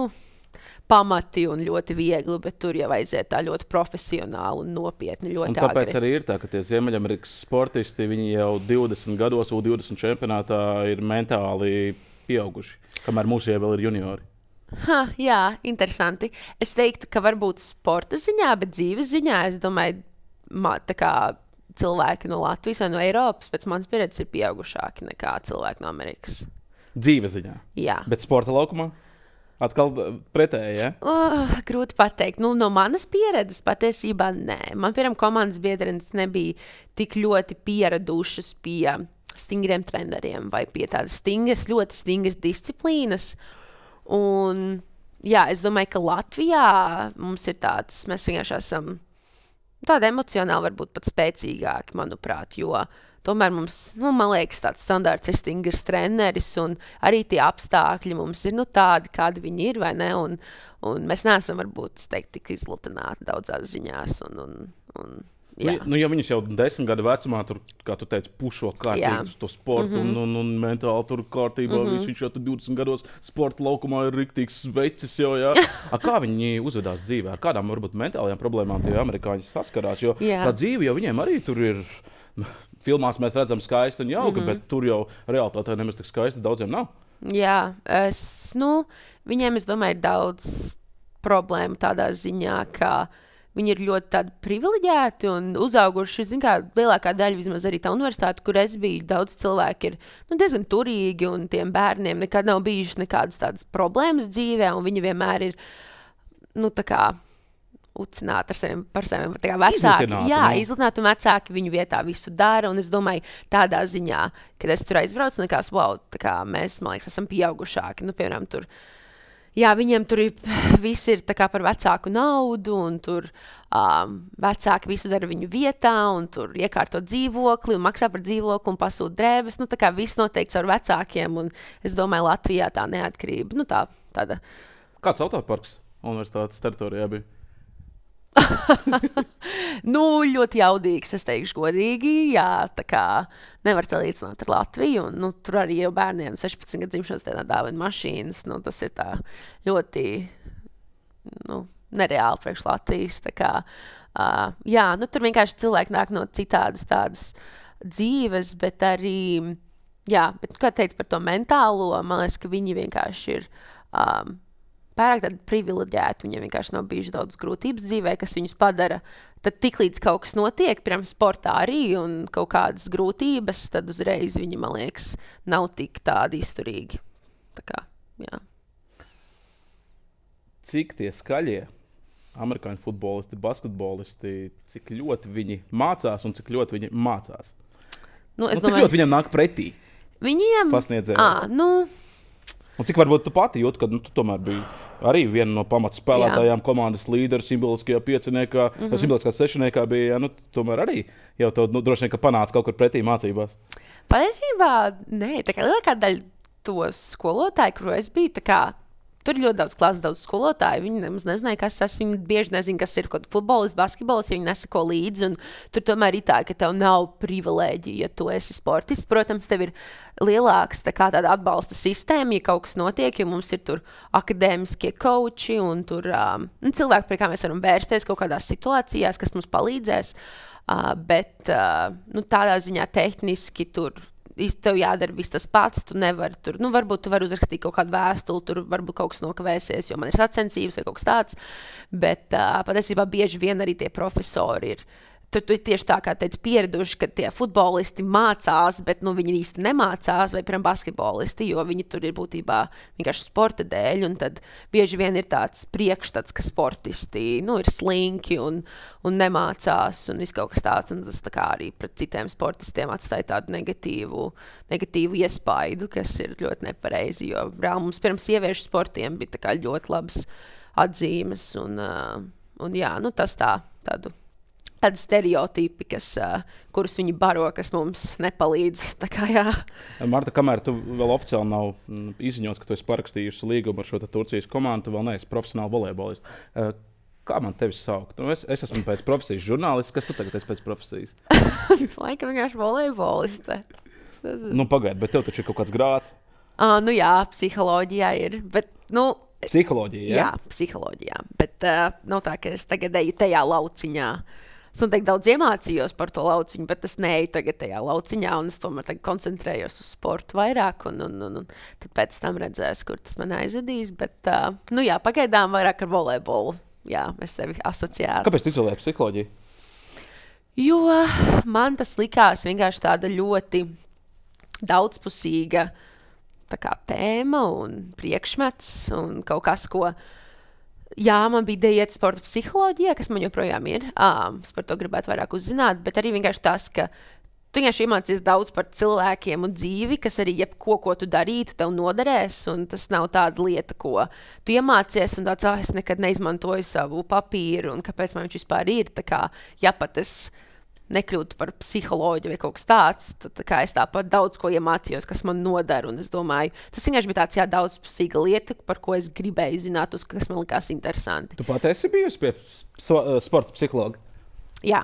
pamati un ļoti viegli, bet tur jau vajadzēja tā ļoti profesionāli un nopietni, ļoti agri. Un tāpēc arī ir tā, ka tie Ziemeļamerikas sportisti, viņi jau 20 gados, U20 čempionātā ir mentāli pieauguši, kamēr mūsu jau vēl ir juniori. Jā, interesanti. Es teiktu, ka varbūt sporta ziņā, bet dzīves ziņā, es domāju, tā kā cilvēki no Latvijas vai no Eiropas, pēc manas pieredzes, ir pieaugušāki nekā cilvēki no Amerikas. Dzīves ziņā? Jā. Bet sporta laukumā? Atkal pretēji, ja? Grūti pateikt. No manas pieredzes patiesībā nē. Man, piemēram, komandas biedrenes nebija tik ļoti pieradušas pie stingriem treneriem vai pie tādas ļoti stingras disciplīnas. Un, jā, es domāju, ka Latvijā mums ir tāds, mēs vienkārši esam tādi emocionāli varbūt pat spēcīgāki, manuprāt, jo tomēr mums, man liekas, tāds standārts ir stingrs treneris, un arī tie apstākļi mums ir tādi, kādi viņi ir, vai ne, un mēs neesam varbūt, es teiktu, tik izlutināti daudzās ziņās, jā. Ja viņus jau 10 gadu vecumā, tur, kā tu teici, pušo kārtīgi uz to sportu un mentāli tur kārtībā, viņš jau 20 gados sporta laukumā ir riktīgs vecis jau, jā. Kā viņi uzvedās dzīvē? Ar kādām varbūt mentālajām problēmām tie amerikāņi saskarās? Jo tā dzīve jau viņiem arī tur ir, filmās mēs redzam skaisti un jauki, bet tur jau realitātē nemaz tik skaisti daudziem nav. Jā, viņiem, es domāju, ir daudz problēmu tādā ziņā, ka viņi ir ļoti tādi privileģēti un uzauguši. Zin kā, lielākā daļa, vismaz arī tā universitāte, kur es biju, daudz cilvēki ir diezgan turīgi, un tiem bērniem nekad nav bijušas nekādas tādas problēmas dzīvē, un viņi vienmēr ir, tā kā ucināt par saviem vecākiem. Izlutināt, un vecāki viņu vietā visu dara. Un es domāju, tādā ziņā, kad es tur aizbraucu, un likās, wow, mēs, man liekas, esam pieaugušāki. Nu, piemēram, tur, viņiem tur viss ir par vecāku naudu, un tur vecāki visu dara viņu vietā, un tur iekārto dzīvokli, un maksā par dzīvokli, un pasūta drēbes. Nu, viss noteikti ar vecākiem, un es domāju, Latvijā tā neatkarība. Nu, tāda. Kāds autoparks universitātes teritorijā bija? Ļoti jaudīgs, es teikšu godīgi. Jā, nevar salīdzināt ar Latviju. Un, tur arī jau bērniem 16 gadu dzimšanas dienā dāvina mašīnas. Tas ir tā ļoti nereāli priekš Latvijas. Tur vienkārši cilvēki nāk no citādas tādas dzīves, bet arī, bet, kā teicu par to mentālo, man liekas, ka viņi vienkārši ir pārāk tādi privileģēti, viņiem vienkārši nav bijuši daudz grūtības dzīvē, kas viņus padara. Tad tiklīdz kaut kas notiek, piemēram, sportā arī un kaut kādas grūtības, tad uzreiz viņi, man liekas, nav tik tādi izturīgi. Jā. Cik tie skaļie amerikāņu futbolisti, basketbolisti, cik ļoti viņi mācās un cik ļoti viņi mācās? Cik ļoti viņiem nāk pretī? Viņiem? Pasniedzēji. Un cik varbūt tu pati jūti, ka tu tomēr biji arī viena no pamatspēlētājām, komandas līderis, simboliskajā pieciniekā, simboliskā sešniekā bija, tomēr arī jau tev droši vien, ka panāca kaut kur pretī mācībās. Patiesībā, nē, lielākā daļa to skolotāju, kur es biju, tur ir ļoti daudz klases, daudz skolotāju. Viņi nemaz nezināja, kas tas ir. Viņi bieži nezina, kas ir futbolists, basketbolists. Viņi nesako līdzi. Tur tomēr ir tā, ka tev nav privilēģija, ja tu esi sportists. Protams, tev ir lielāks tāda atbalsta sistēma, ja kaut kas notiek, jo mums ir tur akadēmiskie koči un tur cilvēki, pie kā mēs varam vērsties kaut kādās situācijās, kas mums palīdzēs. Bet tādā ziņā tehniski tur. Tev jādara viss tas pats, tu nevari tur, varbūt tu vari uzrakstīt kaut kādu vēstuli, tur varbūt kaut kas nokavēsies, jo man ir sacensības vai kaut kas tāds, bet patiesībā bieži vien arī tie profesori ir. Tur ir tieši tā, kā teicu, pieraduši, ka tie futbolisti mācās, bet viņi īsti nemācās, vai, piemēram, basketbolisti, jo viņi tur ir būtībā vienkārši sporta dēļ, un tad bieži vien ir tāds priekšstats, ka sportisti, ir slinki un nemācās, un viss kaut kas tāds, un tas arī pret citiem sportistiem atstāja tādu negatīvu iespaidu, kas ir ļoti nepareizi, jo mums pirms sieviešu sportiem bija ļoti labas atzīmes, un tas tādu stereotipi, kurus viņi baro, kas mums nepalīdz. Marta, kamēr tu vēl oficiāli nav izziņots, ka tu esi parakstījusi līgumu ar šo Turcijas komandu, tu vēl neesi profesionāli volejbolists. Kā man tevi saukt? Es esmu pēc profesijas žurnālists. Kas tu tagad esi pēc profesijas? Laikam vienkārši volejboliste. Pagaid, bet tev taču ir kaut kāds grāds. Jā, psiholoģijā ir. Bet, psiholoģija, jā? Jā, psiholoģijā. Bet nav tā, ka es tagad eju tajā lauciņā. Es noteikti daudz iemācījos par to lauciņu, bet es neeju tagad tajā lauciņā, un es tomēr koncentrējos uz sportu vairāk, un tad pēc tam redzēs, kur tas man aizvedīs. Bet, pagaidām vairāk ar volejbolu. Jā, es tevi asociēju. Kāpēc tu izvēlējies psiholoģiju? Jo man tas likās vienkārši tāda ļoti daudzpusīga tēma un priekšmets un kaut kas, ko. Jā, man bija ideja iet sporta psiholoģijā, kas man joprojām ir. Es par to gribētu vairāk uzzināt, bet arī vienkārši tas, ka tu vienkārši iemācies daudz par cilvēkiem un dzīvi, kas arī jebko, ko tu darītu, tev noderēs, un tas nav tāda lieta, ko tu iemācies, un tāds, es nekad neizmantoju savu papīru, un kāpēc man viņš vispār ir. Ja pat es nekļūtu par psiholoģiju vai kaut kas tāds, tad es tāpat daudz ko iemācījos, kas man nodara, un es domāju, tas vienkārši bija tāds daudzpusīga lieta, par ko es gribēju zināt, kas man likās interesanti. Tu pat esi bijusi pie sporta psihologa? Jā.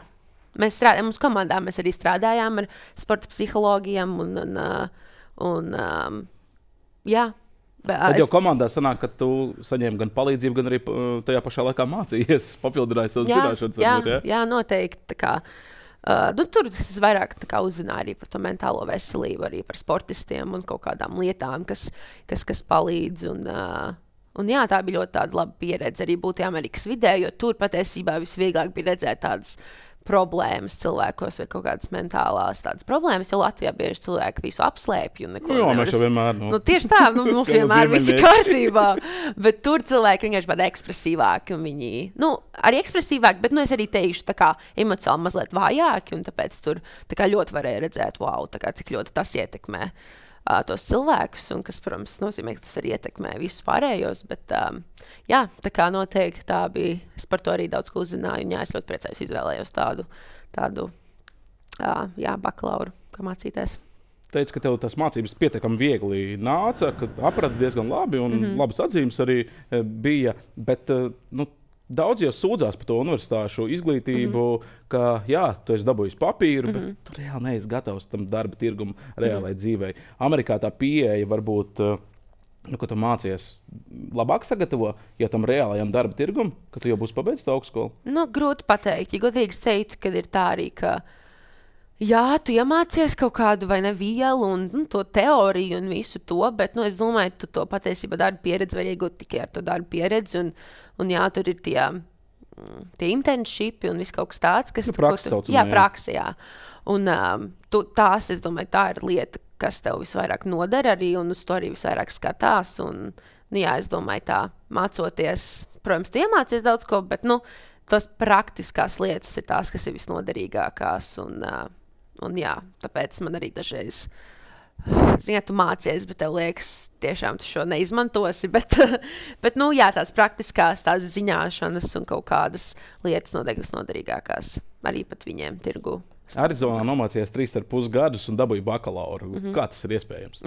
Mēs strādājām, mūsu komandā mēs arī strādājām ar sporta psihologiem, jā. Tad jau komandā sanāk, ka tu saņēmi gan palīdzību, gan arī tajā pašā laikā mācījies, papildināji savas zināšanas. Jā, noteikti. Tur es vairāk uzzināju arī par to mentālo veselību, arī par sportistiem un kaut kādām lietām, kas palīdz. Un jā, tā bija ļoti laba pieredze arī būt Amerikas vidē, jo tur patiesībā visvieglāk bija redzēt tādas problēmas cilvēkos vai kaut kādas mentālās tādas problēmas, jo Latvijā bieži cilvēki visu apslēpj un neko Jā, mēs jau vienmēr. Tieši tā, mums vienmēr viss ir kārtībā, bet tur cilvēki vienkārši tādi ekspresīvāki un viņi, arī ekspresīvāki, bet es arī teikšu tā kā emocionāli mazliet vājāki un tāpēc tur tā kā ļoti varēja redzēt, wow, tā kā cik ļoti tas ietekmē tos cilvēkus, un kas, protams, nozīmē, ka tas arī ietekmē visus pārējos, bet jā, tā kā noteikti tā bija, es par to arī daudz ko uzzināju, un jā, es ļoti priecājos izvēlējos tādu bakalauru, kā mācīties. Teici, ka tev tas mācības pietiekami viegli nāca, ka aprati diezgan labi, un labas atzīmes arī bija, bet, daudz jau sūdzās par to universitāšu izglītību, ka, jā, tu esi dabūjis papīru, bet tu reāli neesi gatavs tam darba tirgumu reālai dzīvei. Amerikā tā pieeja varbūt, ko tu mācies, labāk sagatavo, ja tam reālajam darba tirgum, ka tu jau būsi pabeidzis augstskolu? Grūti pateikt. Ja godīgi teikt, kad ir tā arī, ka jā, tu iemācies kaut kādu vai ne vielu un to teoriju un visu to, bet es domāju, tu to patiesībā darba pieredzi var iegūt tikai ar to darba pieredzi un jā, tur ir tie internshipi un viss kaut kas tāds, kas praksa saucamā, jā, praksa, jā. Un tās, es domāju, tā ir lieta, kas tev visvairāk nodara arī un uz to arī visvairāk skatās un, jā, es domāju, tā mācoties, protams, tu iemācies daudz ko, bet, tas praktiskās lietas ir tās, kas ir visnoderīgākās un jā, tāpēc man arī dažreiz, tu mācies, bet tev liekas, tiešām tu šo neizmantosi, bet jā, tās praktiskās, tās ziņāšanas un kaut kādas lietas noteikti visnoderīgākās, arī pat viņiem tirgu. Arizonā nomācījies 3,5 gadus un dabūju bakalauru. Kā tas ir iespējams?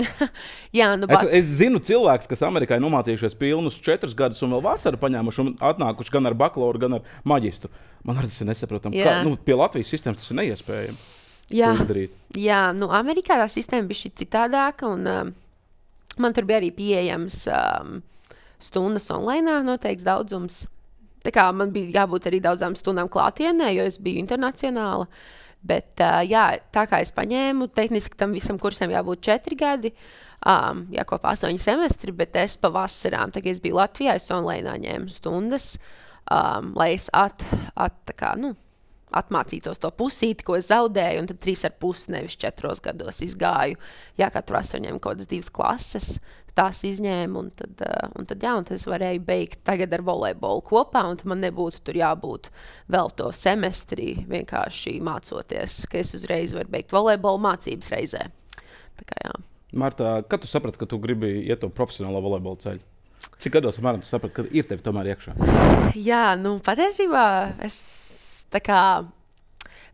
Jā, es zinu cilvēkus, kas Amerikā ir nomācījušies pilnus 4 gadus un vēl vasaru paņēmuši un atnākuši gan ar bakalauru, gan ar maģistru. Man arī tas ir nesaprotami. Pie Latvijas sistēmas tas ir neiespējami. Jā, Amerikā tā sistēma bija šī citādāka un man tur bija arī pieejams stundas online, noteikts daudzums. Tā kā man bija jābūt arī daudzām stundām klātienē, jo es biju internacionāla. Bet, jā, tā kā es paņēmu, tehniski tam visam kursam jābūt 4 gadi, jākopā 8 semestri, bet es pa vasarām, tā kā es biju Latvijā, es online ņēmu stundas, lai es atmācītos to pusīti, ko es zaudēju, un tad 3,5, nevis 4 gados izgāju. Jā, katru vasaru ņēmu kaut kādas 2 klases, tās izņēmu, un tad es varēju beigt tagad ar volejbolu kopā, un man nebūtu tur jābūt vēl to semestri vienkārši mācoties, ka es uzreiz varu beigt volejbolu mācības reizē. Tā kā jā. Marta, kad tu saprati, ka tu gribi iet to profesionālo volejbolu ceļu? Cik gados apmēram tu saprati, ka ir tevi tomēr iekšā? Jā, patiesībā es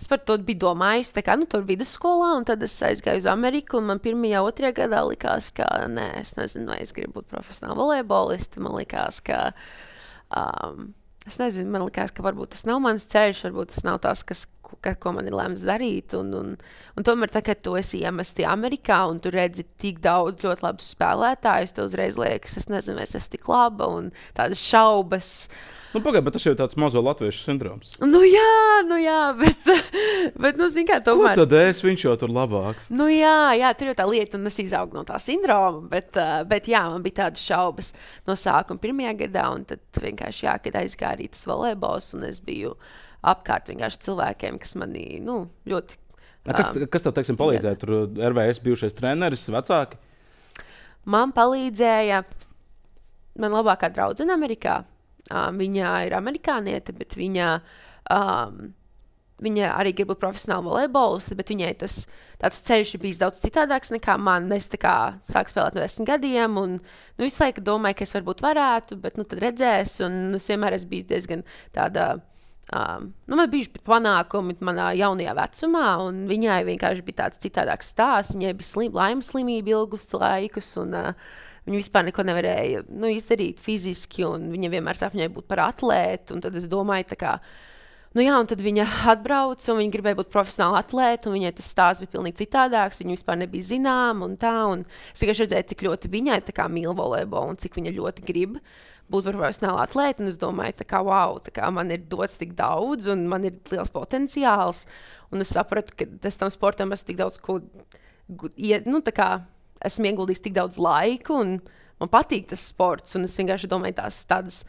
par to biju domājusi, tur vidusskolā, un tad es aizgāju uz Ameriku, un man 1. 2. gadā likās, ka, es nezinu, vai es gribu būt profesionāla volejbolista, man likās, ka, man likās, ka varbūt tas nav mans ceļš, varbūt tas nav tas, ko man ir lēmts darīt, un tomēr tā, kad tu esi iemesti Amerikā, un tu redzi tik daudz ļoti labus spēlētājus, tev uzreiz liekas, es nezinu, vai es esmu tik laba, un tādas šaubas. Pagaid, bet tas jau ir tāds mazo latviešu sindroms. Jā, bet zin kā, tomēr. Ko tad viņš jau tur labāks? Jā, tur jau tā lieta, un es izaugu no tā sindroma, bet jā, man bija tādas šaubas no sākuma 1. gadā, un tad vienkārši, jā, kad aizgāja arī tas volejbols, un es biju apkārt vienkārši cilvēkiem, kas manī, ļoti... Kas tev, teiksim, palīdzēja? Tur RVS bijušais treneris, vecāki? Man palīdzēja man labākā draudzene Amerikā. Viņa ir amerikāniete, bet viņa arī grib būt profesionāla volejbolista, bet viņai tāds ceļš ir bijis daudz citādāks nekā man. Es sāku spēlēt no 10 gadiem, un visu laiku domāju, ka es varbūt varētu, bet tad redzēs, un es vienmēr esmu bijis diezgan tāda, man bijuši panākumi manā jaunajā vecumā, un viņai vienkārši bija tāds citādāks stāsts. Viņai bija laimes slimība ilgus laikus, un viņa vispār neko nevarēja izdarīt fiziski, un viņa vienmēr sapņoja būt par atlētu, un tad es domāju, un tad viņa atbrauca, un viņa gribēja būt profesionāla atlēta, un viņai tas stāsts bija pilnīgi citādāks, viņa vispār nebija zināma, un es tikai redzēju, cik ļoti viņai mīl volejbolu, un cik viņa ļoti grib būt par profesionālu atlētu, un es domāju, wow, man ir dots tik daudz, un man ir liels potenciāls, un es sapratu, ka es tam sportam esmu tik daudz, esmu ieguldījis tik daudz laika, un man patīk tas sports, un es vienkārši domāju tādas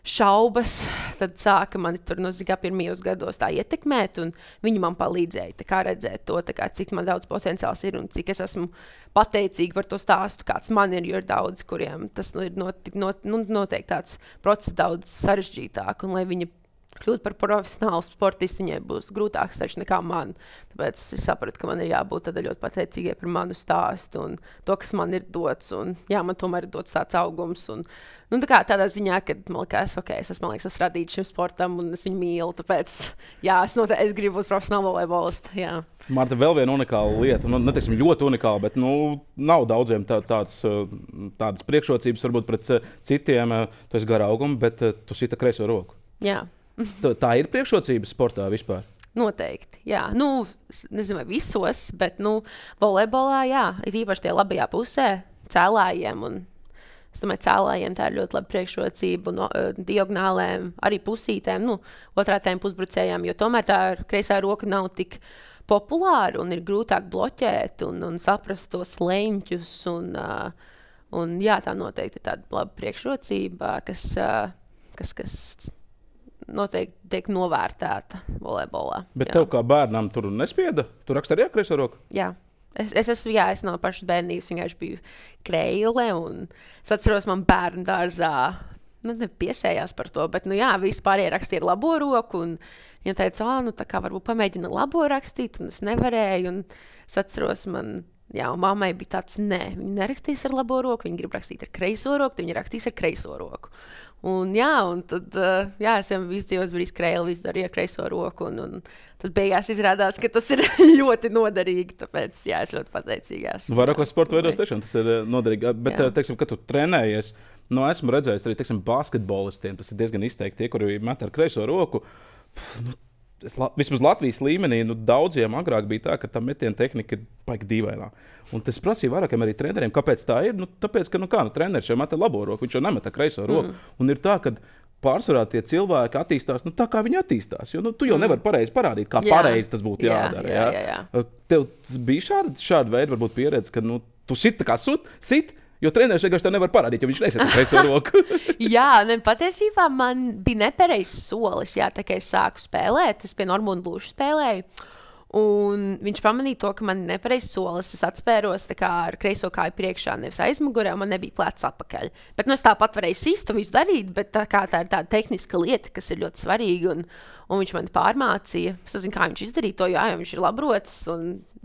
šaubas, tad sāka mani tur pirmajos gados tā ietekmēt, un viņi man palīdzēja tā kā redzēt to, tā kā, cik man daudz potenciāls ir un cik es esmu pateicīga par to stāstu, kāds man ir, jo ir daudz, kuriem tas ir noteikti tāds process daudz sarežģītāk, un lai viņa kļūt par profesionālu sportistu, viņai būs grūtāks taču nekā man. Tāpēc es sapratu, ka man ir jābūt tādā ļoti pateicīgai par manu stāstu un to, kas man ir dots. Un, jā, man tomēr ir dots tāds augums. Un, tā kā tādā ziņā, ka man liekas, es esmu radīts šim sportam un es viņu mīlu. Tāpēc, jā, es gribu būt profesionāla volejbolista. Marta, vēl viena unikāla lieta. Neteiksim ļoti unikāla, bet nav daudziem tādas priekšrocības varbūt pret citiem. Tu esi gara auguma, bet tu sita kreiso roku. Jā. Tā ir priekšrocības sportā vispār? Noteikti, jā. Nezinu, vai visos, bet, volejbolā, jā, ir īpaši tie labajā pusē cēlājiem, un es domāju, cēlājiem tā ir ļoti laba priekšrocība, un diagonālēm, arī pusītēm, otrā tēm pusbrucējām, jo tomēr tā kreisā roka nav tik populāra, un ir grūtāk bloķēt, un saprast tos leņķus, un jā, tā noteikti ir tāda laba priekšrocība, kas noteikti tiek novērtēta volejbolā. Bet tev kā bērnam tur nespieda? Tu raksti arī ar kreiso roku? Jā. Es no pašas bērnības vienkārši biju kreile, un es atceros, man bērnu dārzā piesējās par to, bet, visi pārējie rakstīja ar labo roku, un viņa teica, tā kā varbūt pamēģina labo rakstīt, un es nevarēju, un es atceros, mammai bija tāds, viņa nerakstīs ar labo roku, viņa grib rakstīt ar kreiso roku, tad viņa rakstīs ar kreiso roku. Un tad, es jau visu dzīves biju kreili, visu darīju ar kreiso roku, un tad beigās izrādās, ka tas ir ļoti noderīgi, tāpēc, es ļoti pateicīga esmu. Vairākos sporta veidos tiešām tas ir noderīgi, bet, teiksim, kad tu trenējies, esmu redzējis arī, teiksim, basketbolistiem, tas ir diezgan izteikti, tie, kuri met ar kreiso roku, vismaz Latvijas līmenī, daudziem agrāk bija tā, ka tā metiena tehnika ir baigi dīvainā. Un tas prasīja vairākiem arī treneriem, kāpēc tā ir. Tāpēc, ka treneris jau met ar labo roku, viņš jau nemet ar kreiso roku. Un ir tā, ka pārsvarā tie cilvēki attīstās tā, kā viņi attīstās. Jo tu jau nevari pareizi parādīt, kā pareizi tas būtu jādara. Jā. Tev bija šāda veida varbūt pieredze, ka tu sit tā kā sit, jo treneris vienkārši tā nevar parādīt, jo viņš nesaka kreiso roku. Jā, patiesībā man bija nepareizs solis, tā kā es sāku spēlēt. Es pie Normunda Lūša spēlēju. Un viņš pamanīja to, ka man ir nepareizs solis. Es atspēros ar kreiso kāju priekšā, nevis aizmugurē, un man nebija plecs apakaļ. Bet es tāpat varēju sist un visu darīt, bet tā ir tāda tehniska lieta, kas ir ļoti svarīga. Un viņš man pārmācīja. Es nezinu, kā viņš izdarīja to, jo viņš ir labrots.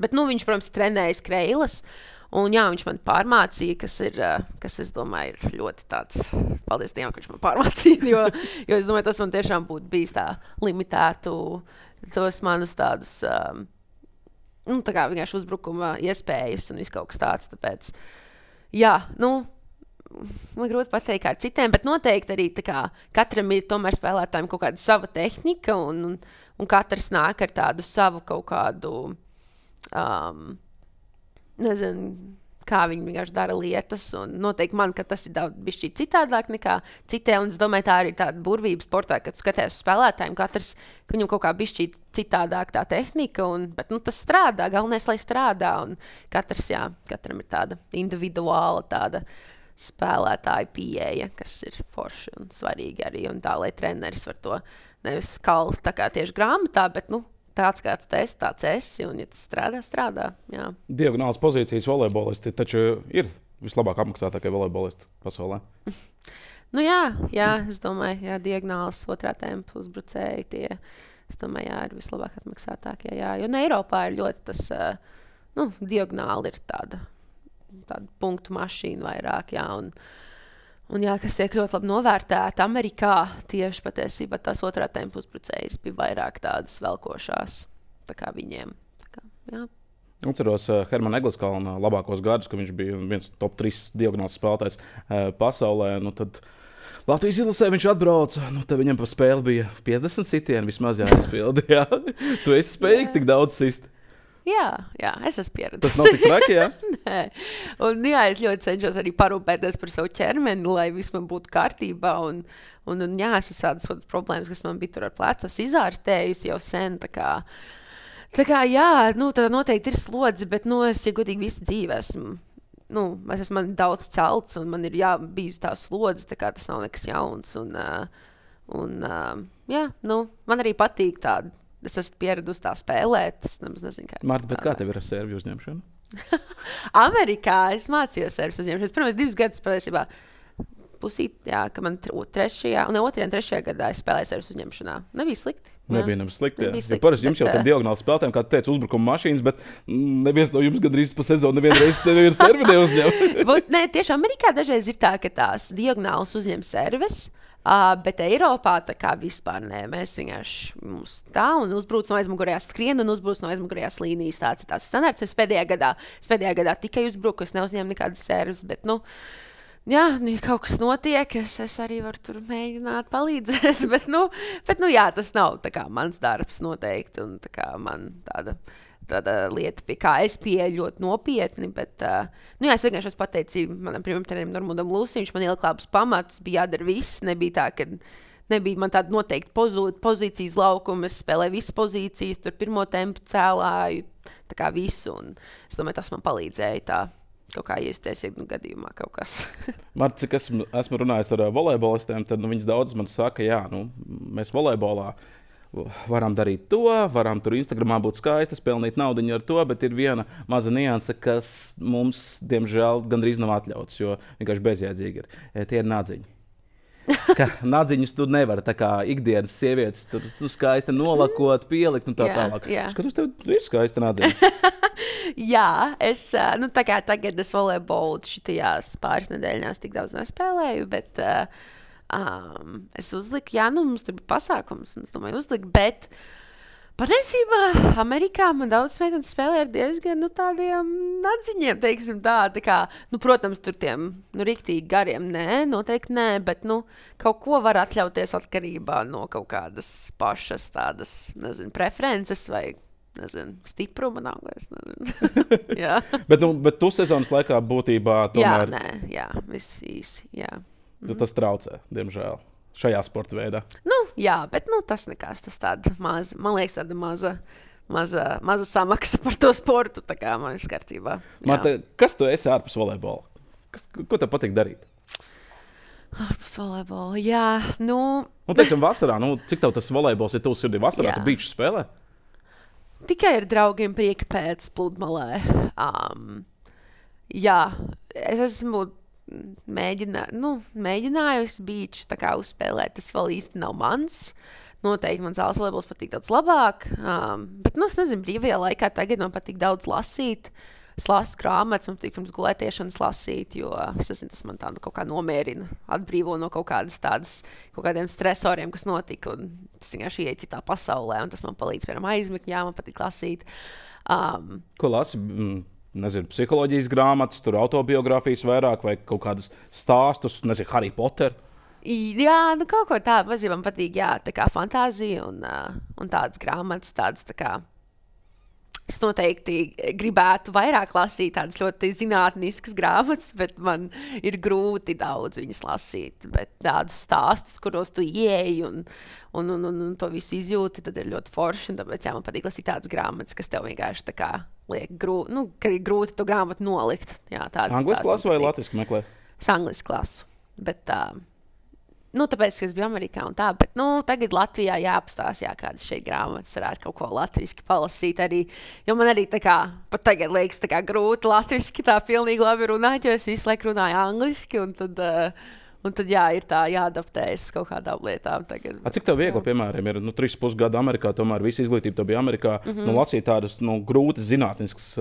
Bet viņš, protams, trenējas kreilas. Un viņš man pārmācīja, kas es domāju, ir ļoti tāds, paldies Dievam, ka viņš man pārmācīja, jo es domāju, tas man tiešām būtu bijis tā limitētu tos manus tādus, tā kā vienkārši uzbrukuma iespējas un viss kaut kas tāds, tāpēc, man grūti pateikt kā ar citiem, bet noteikti arī tā kā katram ir tomēr spēlētājiem kaut kāda sava tehnika un katrs nāk ar tādu savu kaut kādu, nezinu, kā viņi vienkārši dara lietas, un noteikti man, ka tas ir daudz bišķīt citādāk nekā citiem, un es domāju, tā arī tāda burvība sportā, kad tu skaties uz spēlētājiem, katrs, ka viņam kaut kā bišķīt citādāk tā tehnika, bet tas strādā, galvenais, lai strādā, un katram ir tāda individuāla tāda spēlētāja pieeja, kas ir forši un svarīgi arī, un tā, lai treneris var to nevis kalt tā kā tieši grāmatā, bet, tāds kāds tu esi, tāds esi, un ja tas strādā, jā. Diagonālas pozīcijas volejbolisti taču ir vislabāk apmaksātākie volejbolisti pasaulē. Jā, es domāju, diagonālas otrā tempa uzbrucēji tie, es domāju, ir vislabāk apmaksātākie, jā. Jo Eiropā ir ļoti tas, diagonāli ir tāda punktu mašīna vairāk, jā, un kas tiek ļoti labi novērtēta Amerikā, tieši patiesībā tās otrā tempa uzbrucējas bija vairāk tādas velkošās, tā kā viņiem. Jā. Atceros Hermana Egliskalna labākos gadus, ka viņš bija viens top 3 diagonāls spēlētājs pasaulē. Tad Latvijas izlasē viņš atbrauca, tad viņam pa spēli bija 50 sitieni vismaz jāizpilda. Jā. Tu esi spējīgi tik daudz sist? Jā, es esmu pieredzējis. Tas nav tik traki, jā? Nē. Un es ļoti cenšos arī parūpēties par savu ķermeni, lai viss man būtu kārtībā. Un es esmu tādas problēmas, kas man bija tur ar plecu izārstējusi jau sen. Tā kā tā noteikti ir slodze, bet, es, ja godīgi visu dzīvi esmu. Es esmu daudz celts, un man ir bijusi tā slodze, tā kā tas nav nekas jauns. Un, jā, nu, man arī patīk tāda. Es esmu pieradusi tā spēlēt. Es nezinu, Marta, bet kā tev ir ar sērvju uzņemšanu? Amerikā es mācījos sērvju uzņemšanu. Pirmais 2 gadus patiesībā pusīt, jā, ka man 2. un 3. gadā es spēlēju sērvju uzņemšanā. Nebija slikti. Nebija slikti. Jo parasti jums jau ir diagonāli spēlētājiem, kā tu teici, uzbrukuma mašīnas, bet neviens no jums gandrīz pa sezonu nevienreiz servi neuzņem. Nē, tieši Amerikā dažreiz ir tā, ka tās diagonālas uzņem serves. Bet Eiropā tā kā vispār nē, mēs vienkārši mums tā un uzbrūc no aizmugurējās skrien un uzbrūc no aizmugurējās līnijas. Tāds ir tāds standarts. Es pēdējā gadā tikai uzbruku, es neuzņēmu nekādas servis, bet, nu, jā, ja kaut kas notiek, es arī varu tur mēģināt palīdzēt, bet, jā, tas nav tā kā mans darbs noteikti un tā kā man tāda lieta, pie kā es pieeju ļoti nopietni, bet, jā, es vienkārši esmu pateicība manam pirmam trenerim Normundam Lūsim, viņš man ielika labus pamatus, bija jādara viss, nebija tā, ka nebija man tāda noteikti pozīcijas laukuma, es spēlēju visas pozīcijas, tur pirmo tempu cēlāju, tā kā visu, un es domāju, tas man palīdzēja tā kaut kā iesties, gadījumā kaut kas. Marta, cik esmu runājis ar volejbolistiem, tad viņas daudz man saka, jā, mēs volejbolā varam darīt to, varam tur Instagramā būt skaistas, pelnīt naudiņu ar to, bet ir viena maza nianse, kas mums, diemžēl, gandrīz nav atļauts, jo vienkārši bezjēdzīgi ir. Tie ir nadziņi. Nadziņus tu nevari, tā kā ikdienas sievietes, tu skaisti nolakot, pielikt un tā tālāk. Skatos, tev ir skaista nadziņa. Jā, tā kā tagad es volejbolu šitajās pāris nedēļās tik daudz nespēlēju, bet es uzliku, mums tur bija pasākums, un es domāju uzliku, bet patiesībā Amerikā man daudz meitenes spēlē ar diezgan, tādiem nadziņiem, teiksim tā kā, protams, tur tiem, riktīgi gariem, nē, noteikti nē, bet, kaut ko var atļauties atkarībā no kaut kādas pašas tādas, nezinu, preferences vai, nezinu, stipruma nav, es nezinu. Jā. bet tu sezonas laikā būtībā tomēr... Jā, viss īsi, jā. Tas traucē, diemžēl, šajā sporta veidā. Jā, bet tas nekas, tas tāda maza, man liekas, tāda maza samaksa par to sportu, tā kā man ir kārtībā. Marta, kas tu esi ārpus volejbola? Ko tev patīk darīt? Ārpus volejbola, jā, teiksim, vasarā, cik tev tas volejbols ir tuvs sirdī? Vasarā tu beach spēlē? Tikai ar draugiem prieka pēc pludmalē. Jā, es esmu mēģinājusi beach tā kā uzspēlēt, tas vēl īsti nav mans. Noteikti man zāles volejbols patīk daudz labāk, bet, es nezinu, brīvajā laikā tagad man patīk daudz lasīt. Es lasu grāmatas, man patīk pirms gulētiešanas lasīt, jo es nezinu, tas man tādu kaut kā nomierina, atbrīvo no kaut kādiem stresoriem, kas notika, un tas vienkārši ieiet citā pasaulē, un tas man palīdz, piemēram, aizmigt, jā, man patīk lasīt. Ko lasi? Nezinu, psiholoģijas grāmatas, tur autobiogrāfijas vairāk vai kaut kādas stāstus, nezinu, Harry Potter. Jā, kaut ko tādu mazliet man patīk, jā, tā kā fantāzija un tādas grāmatas, tādas tā kā. Es noteikti gribētu vairāk lasīt tādas ļoti zinātniskas grāmatas, bet man ir grūti daudz viņas lasīt. Bet tādus stāstus, kuros tu ieeji un to visu izjūti, tad ir ļoti forši. Tāpēc jā, man patīk lasīt tādas grāmatas, kas tev vienkārši tā kā liek ka ir grūti to grāmatu nolikt. Jā, Angliski lasu vai latviski meklē? Es angliski lasu, bet tāpēc, ka es biju Amerikā un tā, bet, tagad Latvijā jāapstās, kādas šeit grāmatas varētu kaut ko latviski palasīt arī, jo man arī tā kā, pat tagad liekas tā kā grūti latviski tā pilnīgi labi runāt, jo es visu laiku runāju angliski, un tad jā, ir tā jāadaptējas kaut kādām lietām tagad. Cik tev viegli, piemēram, ir 3,5 gadu Amerikā, tomēr visa izglītība tev bija Amerikā, lasīt tādas grūtas zinātniskas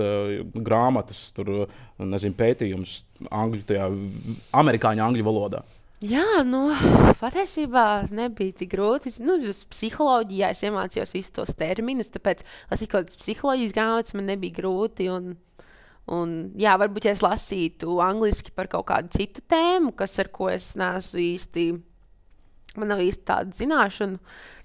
grāmatas, tur, nezinu, pētījumus amerikāņu angļu valodā? Jā, patiesībā nebija tik grūti. Psiholoģijā es iemācījos visus tos terminus, tāpēc lasīt kaut kādas psiholoģijas grāmatas man nebija grūti. Un jā, varbūt, ja es lasītu angliski par kaut kādu citu tēmu, ar ko es neesmu īsti, man nav īsti tāda zināšana,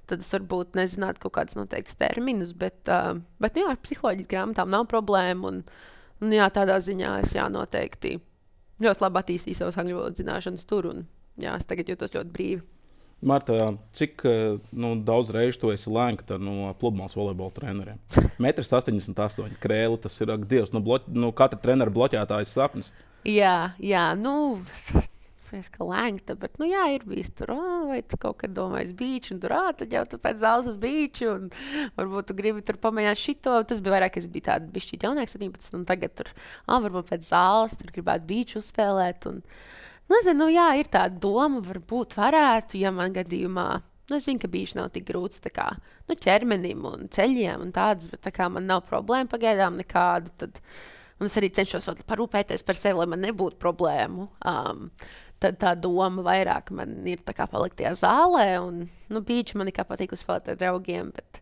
tad es varbūt nezinātu kaut kādus noteiktus terminus, bet jā, ar psiholoģijas grāmatām nav problēma. Un jā, tādā ziņā es noteikti ļoti labi attīstīju savas angļu valodas zināšanas tur. Jā, es tagad jūtos ļoti brīvi. Marta, cik daudz reižu tu esi lēnkta no pludmales volejbola treneriem? 1,88 m krēli, tas ir, ak Dievs, katra trenera bloķētājas sapnis. Jā, Es kā lēngta, bet, jā, ir bijis tur, vai tu kaut kad domājies bīču, un tur, tad jau tu pēc zāles uz bīču, un varbūt tu gribi tur pamēģināt šito. Tas bija vairāk, es biju tāda bišķīt jaunieks, 17, un tagad tur, varbūt pēc zāles tur gribētu bīču uzspēlēt, un, nezinu, jā, ir tāda doma, varbūt varētu, ja man gadījumā, es zinu, ka bīču nav tik grūts, tā kā, ķermenim un ceļiem un tādas, bet tā kā man nav problēma pagaidām nekādu, tad, un es arī cenšos parūpēties par sevi, lai man nebūtu problēmu. Tad tā doma vairāk man ir tā kā palikt tajā zālē, un, bīču man kā patīk uzspēlēt ar draugiem, bet,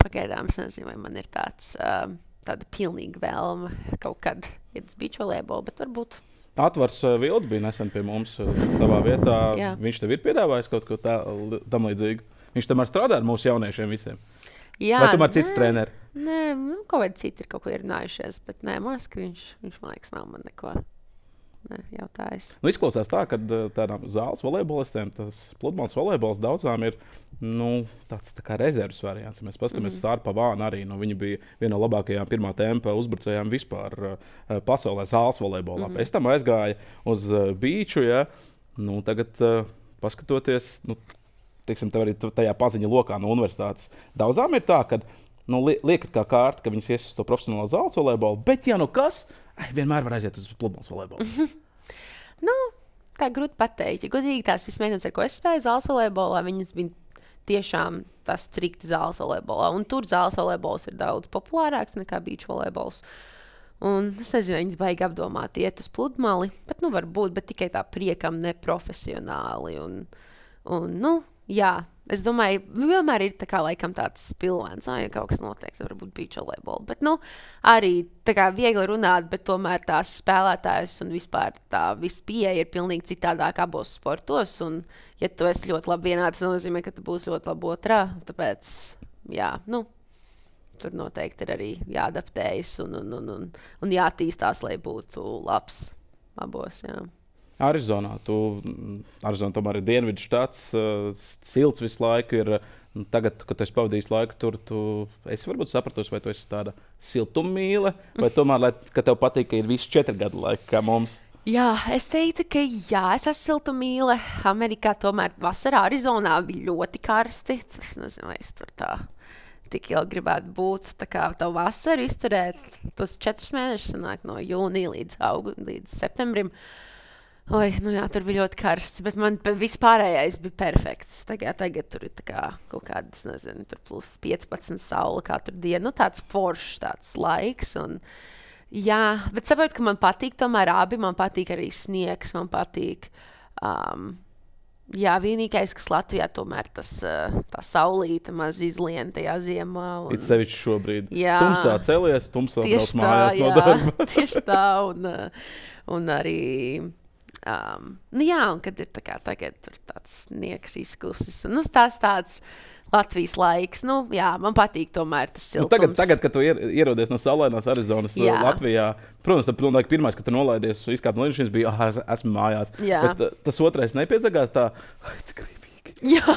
pagaidām es nezinu, vai man ir tāda pilnīga vēlme kaut kad iet uz bīču volejbolu, bet varbūt. Atvars Vilds bija nesen pie mums tavā vietā. Jā. Viņš tev ir piedāvājis kaut ko tam līdzīgu? Viņš tomēr strādā ar mūsu jauniešiem visiem? Jā, vai tomēr citi treneri? Nē, kaut kādi citi ir kaut ko runājušies, bet nē, man liekas, ka viņš man liekas, nav man neko. Jautājis. Izklausās tā, ka tādām zāles volejbolistiem tas pludmales volejbols daudzām ir tāds tā kā rezerves variants. Ja mēs paskatāmies uz Sāru Pavānu arī. Viņa bija viena no labākajām pirmā tempa uzbrucējām vispār pasaulē zāles volejbolā. Pēc tam aizgāja uz bīču. Ja? Tagad paskatoties, teiksim, tev arī tajā paziņa lokā no universitātes. Daudzām ir tā, ka liekat kā kārta, ka viņas ies uz to profesionālo zāles volejbolu, bet ja kas, vienmēr var aiziet uz pludmales volejbolu. Tā grūti pateikt. Ja godīgi tās meitenes, ar ko es spēju zāles volejbolā, viņas bija tiešām tas strikti zāles volejbolā. Un tur zāles volejbols ir daudz populārāks nekā bīču volejbols. Un es nezinu, viņas baigi apdomāt iet uz pludmali, bet varbūt, bet tikai tā priekam neprofesionāli. Jā. Es domāju, vienmēr ir tā kā, laikam, tāds spilvens, ja kaut kas notiek, tad varbūt bīču volejbolu. Bet, arī tā kā viegli runāt, bet tomēr tās spēlētājas un vispār tā viss pieeja ir pilnīgi citādāk abos sportos. Un, ja tu esi ļoti labi vienā, tas nozīmē, ka tu būsi ļoti labi otrā. Tāpēc, jā, tur noteikti ir arī jāadaptējas un jātīstās, lai būtu labs abos, jā. Arizonā tomēr ir dienvidu štats, silts visu laiku ir. Tagad, kad tu esi pavadījis laiku tur, tu esi varbūt sapratusi, vai tu esi tāda siltummīle, vai tomēr, ka tev patīk, ka ir visi 4 gadu laika kā mums? Jā, es teiktu, ka jā, es esmu siltummīle. Amerikā tomēr vasarā Arizonā bija ļoti karsti. Es nezinu, vai es tur tā tik ilgi gribētu būt. Tā kā tavu vasaru izturēt, tos 4 mēnešus sanāk no jūnija līdz septembrim. Jā, tur bija ļoti karsts, bet man vispārējais bija perfekts. Tagad tur ir kaut kādas, nezinu, tur plus 15 saule katru dienu. Tāds foršs tāds laiks. Un, jā, bet saprotu, ka man patīk tomēr abi. Man patīk arī sniegs, man patīk. Jā, vienīgais, kas Latvijā tomēr tā saulīte maz izlien tajā ziemā. It sevišķi šobrīd. Jā. Tumsā celies, tumsā brauc mājās no darba. Tieši tā, un arī... jā, un kad ir tagad tur tāds sniegs izkusis. Tas tāds Latvijas laiks. Jā, man patīk tomēr tas siltums. Tagad, kad tu ierodies no saulainās Arizonas Latvijā, protams, tad pirmais, kad tu nolaidies izkāpt no lidmašīnas, bija, esmu mājās. Jā. Bet tas otrais nepiezagās tā, cik gribīgi. Jā,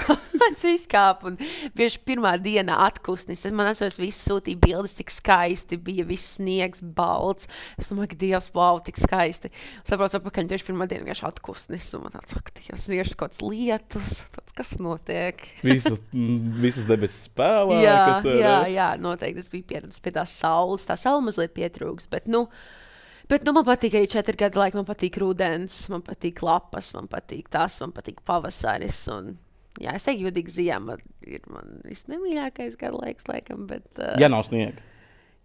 es izkāpu un bieži pirmā dienā atkusnis. Man viss sūtīja bildes, cik skaisti bija, viss sniegs, balts. Es domāju, ka Dievs, wow, tik skaisti. Saprotu, apakaļ tieši pirmā diena vienkārši atkusnis. Un man tāds, Dievs, ir kaut kāds lietus, kas notiek. Visas debesis spēlē. Jā, noteikti. Es biju pieredzis pie tās saules. Tā saule mazliet pietrūks, bet, man patīk arī 4 gadu laika. Man patīk rudens, man patīk lapas, man patīk pavasaris. Un, jā, es teiktu, jūtīgi ziema ir man visnemīļākais gadu laiks, laikam. Bet, ja nav sniega.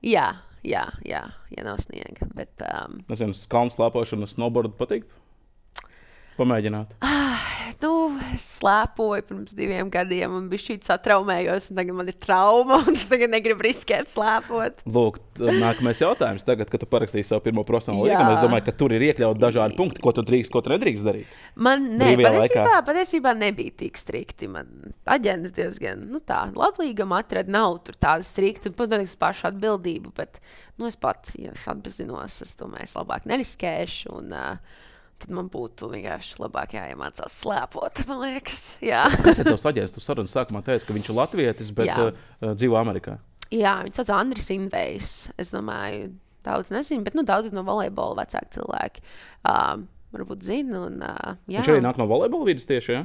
Jā, ja nav sniega. Bet, es zinu, kalnu slēpošanu, snowboardu patīk pamēģināt. Es slēpoju pirms 2 gadiem un biju šķiet satraumējos, un tagad man ir trauma, un es tagad negribu riskēt slēpot. Lūk, nākamais jautājums. Tagad, kad tu parakstīji savu pirmo profesionālo līgumu, es domāju, ka tur ir iekļauti dažādi punkti, ko tu drīkst, ko tu nedrīkst darīt. Man patiesībā nebija tik strikti. Man aģents diezgan, labklīgam atrada, nav tur tāda strikta, un, protams, pašu atbildību, bet, es pats, ja es atbezinos, es domāju, es labāk neriskēšu, un tad man būtu vienkārši labāk jāiemācās slēpot, man liekas. Jā. Kas ir tavs aģents? Tu sarunas sākumā teici, ka viņš ir latvietis, bet dzīvo Amerikā. Jā, viņš sauc Andris Invejs. Es domāju, daudz nezinu, bet daudz no volejbola vecāki cilvēki. varbūt zina. Un, jā. Viņš arī nāk no volejbola vidas tieši, ja?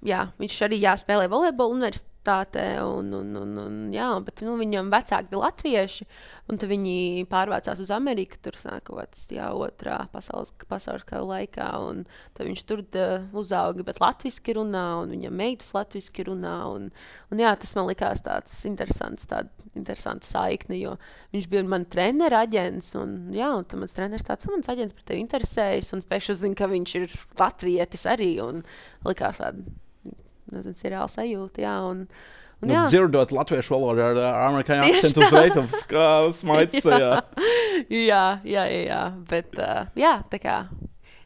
Jā. Viņš arī spēlē volejbolu universitātē. Jā, bet viņam vecāki bija latvieši, un tad viņi pārvācās uz Ameriku. Tur sāk kaut kāds otrā pasaules kara laikā, un tad viņš tur uzauga, bet latviski runā, un viņam meitas latviski runā. Un jā, tas man likās tāds interesants saikne, jo viņš bija mans treneris, aģents, un tad mans treneris tāds, mans aģents par tevi interesējas, un pēkšņi uzzina, ka viņš ir latvietis arī, un likās tāda. Tas ir reāli sajūta, dzirdot latviešu valodu ar amerikāņu akcentu uzreiz smaids. Jā. Bet, tā kā.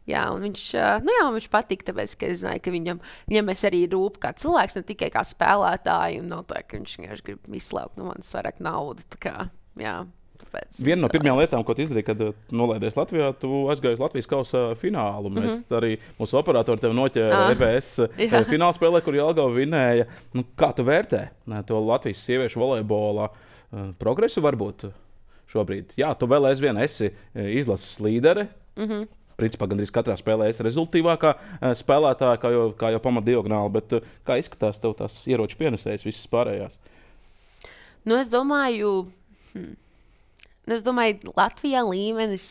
Jā, un viņš patīk, tāpēc, ka es zināju, ka viņam es arī rūp kā cilvēks, ne tikai kā spēlētāji, un nav tā, ka viņš vienkārši grib izslaukt no manis vairāk naudu, tā kā, jā. Viena no pirmajām lietām, ko tu izdarīji, kad nolaidies Latvijā, tu aizgāji uz Latvijas kausa finālu. Mēs arī mūsu operatori tev noķēra EBS fināla spēlē, kur Jelgava vinēja. Kā tu vērtē to Latvijas sieviešu volejbola progresu varbūt šobrīd? Jā, tu vēl aizvien esi izlases līdere. Principā gandrīz katrā spēlē esi rezultīvākā spēlētāja, kā jau pamatdiagonāli, bet kā izskatās tev tās ieroču pienesējas visas pārējās? Es domāju, Latvijā līmenis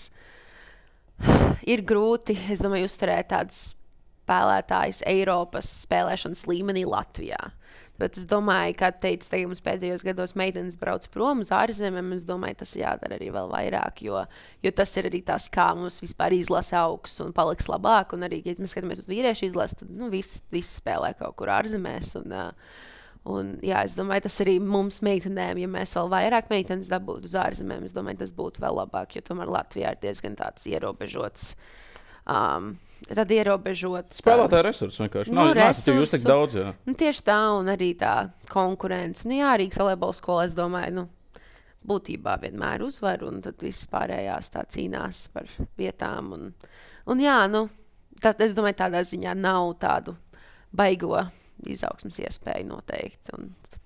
ir grūti, uzturēt tādas spēlētājas Eiropas spēlēšanas līmenī Latvijā. Bet es domāju, kā teicu, tagad mums pēdējos gados meitenes brauc prom uz ārzemēm, un es domāju, tas jādara arī vēl vairāk, jo tas ir arī tas, kā mums vispār izlase augs un paliks labāk. Un arī, ja mēs skatāmies uz vīriešu izlasi, tad visi spēlē kaut kur ārzemēs. Un, es domāju, tas arī mums meitenēm, ja mēs vēl vairāk meitenes dabūtu uz ārzemēm, es domāju, tas būtu vēl labāk, jo tomēr Latvijā ir diezgan tāds ierobežots. Spēlētāju resursi vienkārši. Jūs tik daudz, jā. Tieši tā, un arī tā konkurence. Rīgas volejbola skola, es domāju, būtībā vienmēr uzvar, un tad viss pārējās tā cīnās par vietām. Tad, es domāju, tādā ziņā nav tādu baigo izaugsmas iespēju noteikti.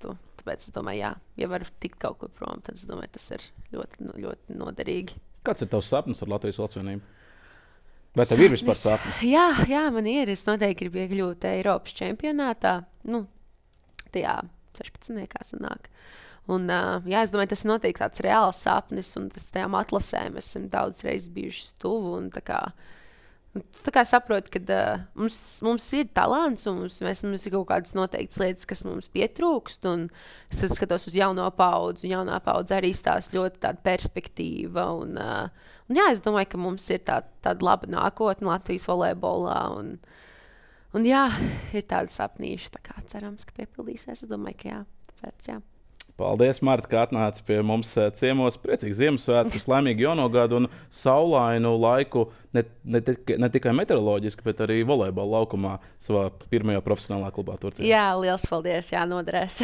Tāpēc es domāju, ja var tikt kaut kur prom, tad es domāju, tas ir ļoti, ļoti noderīgi. Kāds ir tavs sapnis ar Latvijas valstsvienību? Vai tev ir vispār sapnis? Jā, man ir. Es noteikti gribu iekļūt Eiropas čempionātā. Tajā 16. sanāk. Un, es domāju, tas ir noteikti tāds reāls sapnis, un tas tajām atlasēm esam daudz reizes bijuši tuvu. Tā kā saprotu, ka mums ir talants, un mums ir kaut kādas noteiktas lietas, kas mums pietrūkst. Es skatos uz jauno paudzi, un jaunā paudze arī stāsta ļoti tāda perspektīva. Es domāju, ka mums ir tāda laba nākotne Latvijas volejbolā. Ir tāda sapnīša, tā kā cerams, ka piepildīsies. Es domāju, ka jā. Tāpēc, jā. Paldies, Marta, ka atnāci pie mums ciemos. Priecīgs Ziemassvētkus, laimīgu jauno gadu un saulainu laiku ne tikai meteoroloģiski, bet arī volejbola laukumā savā pirmajā profesionālā klubā Turcijā. Jā, liels paldies, noderēs.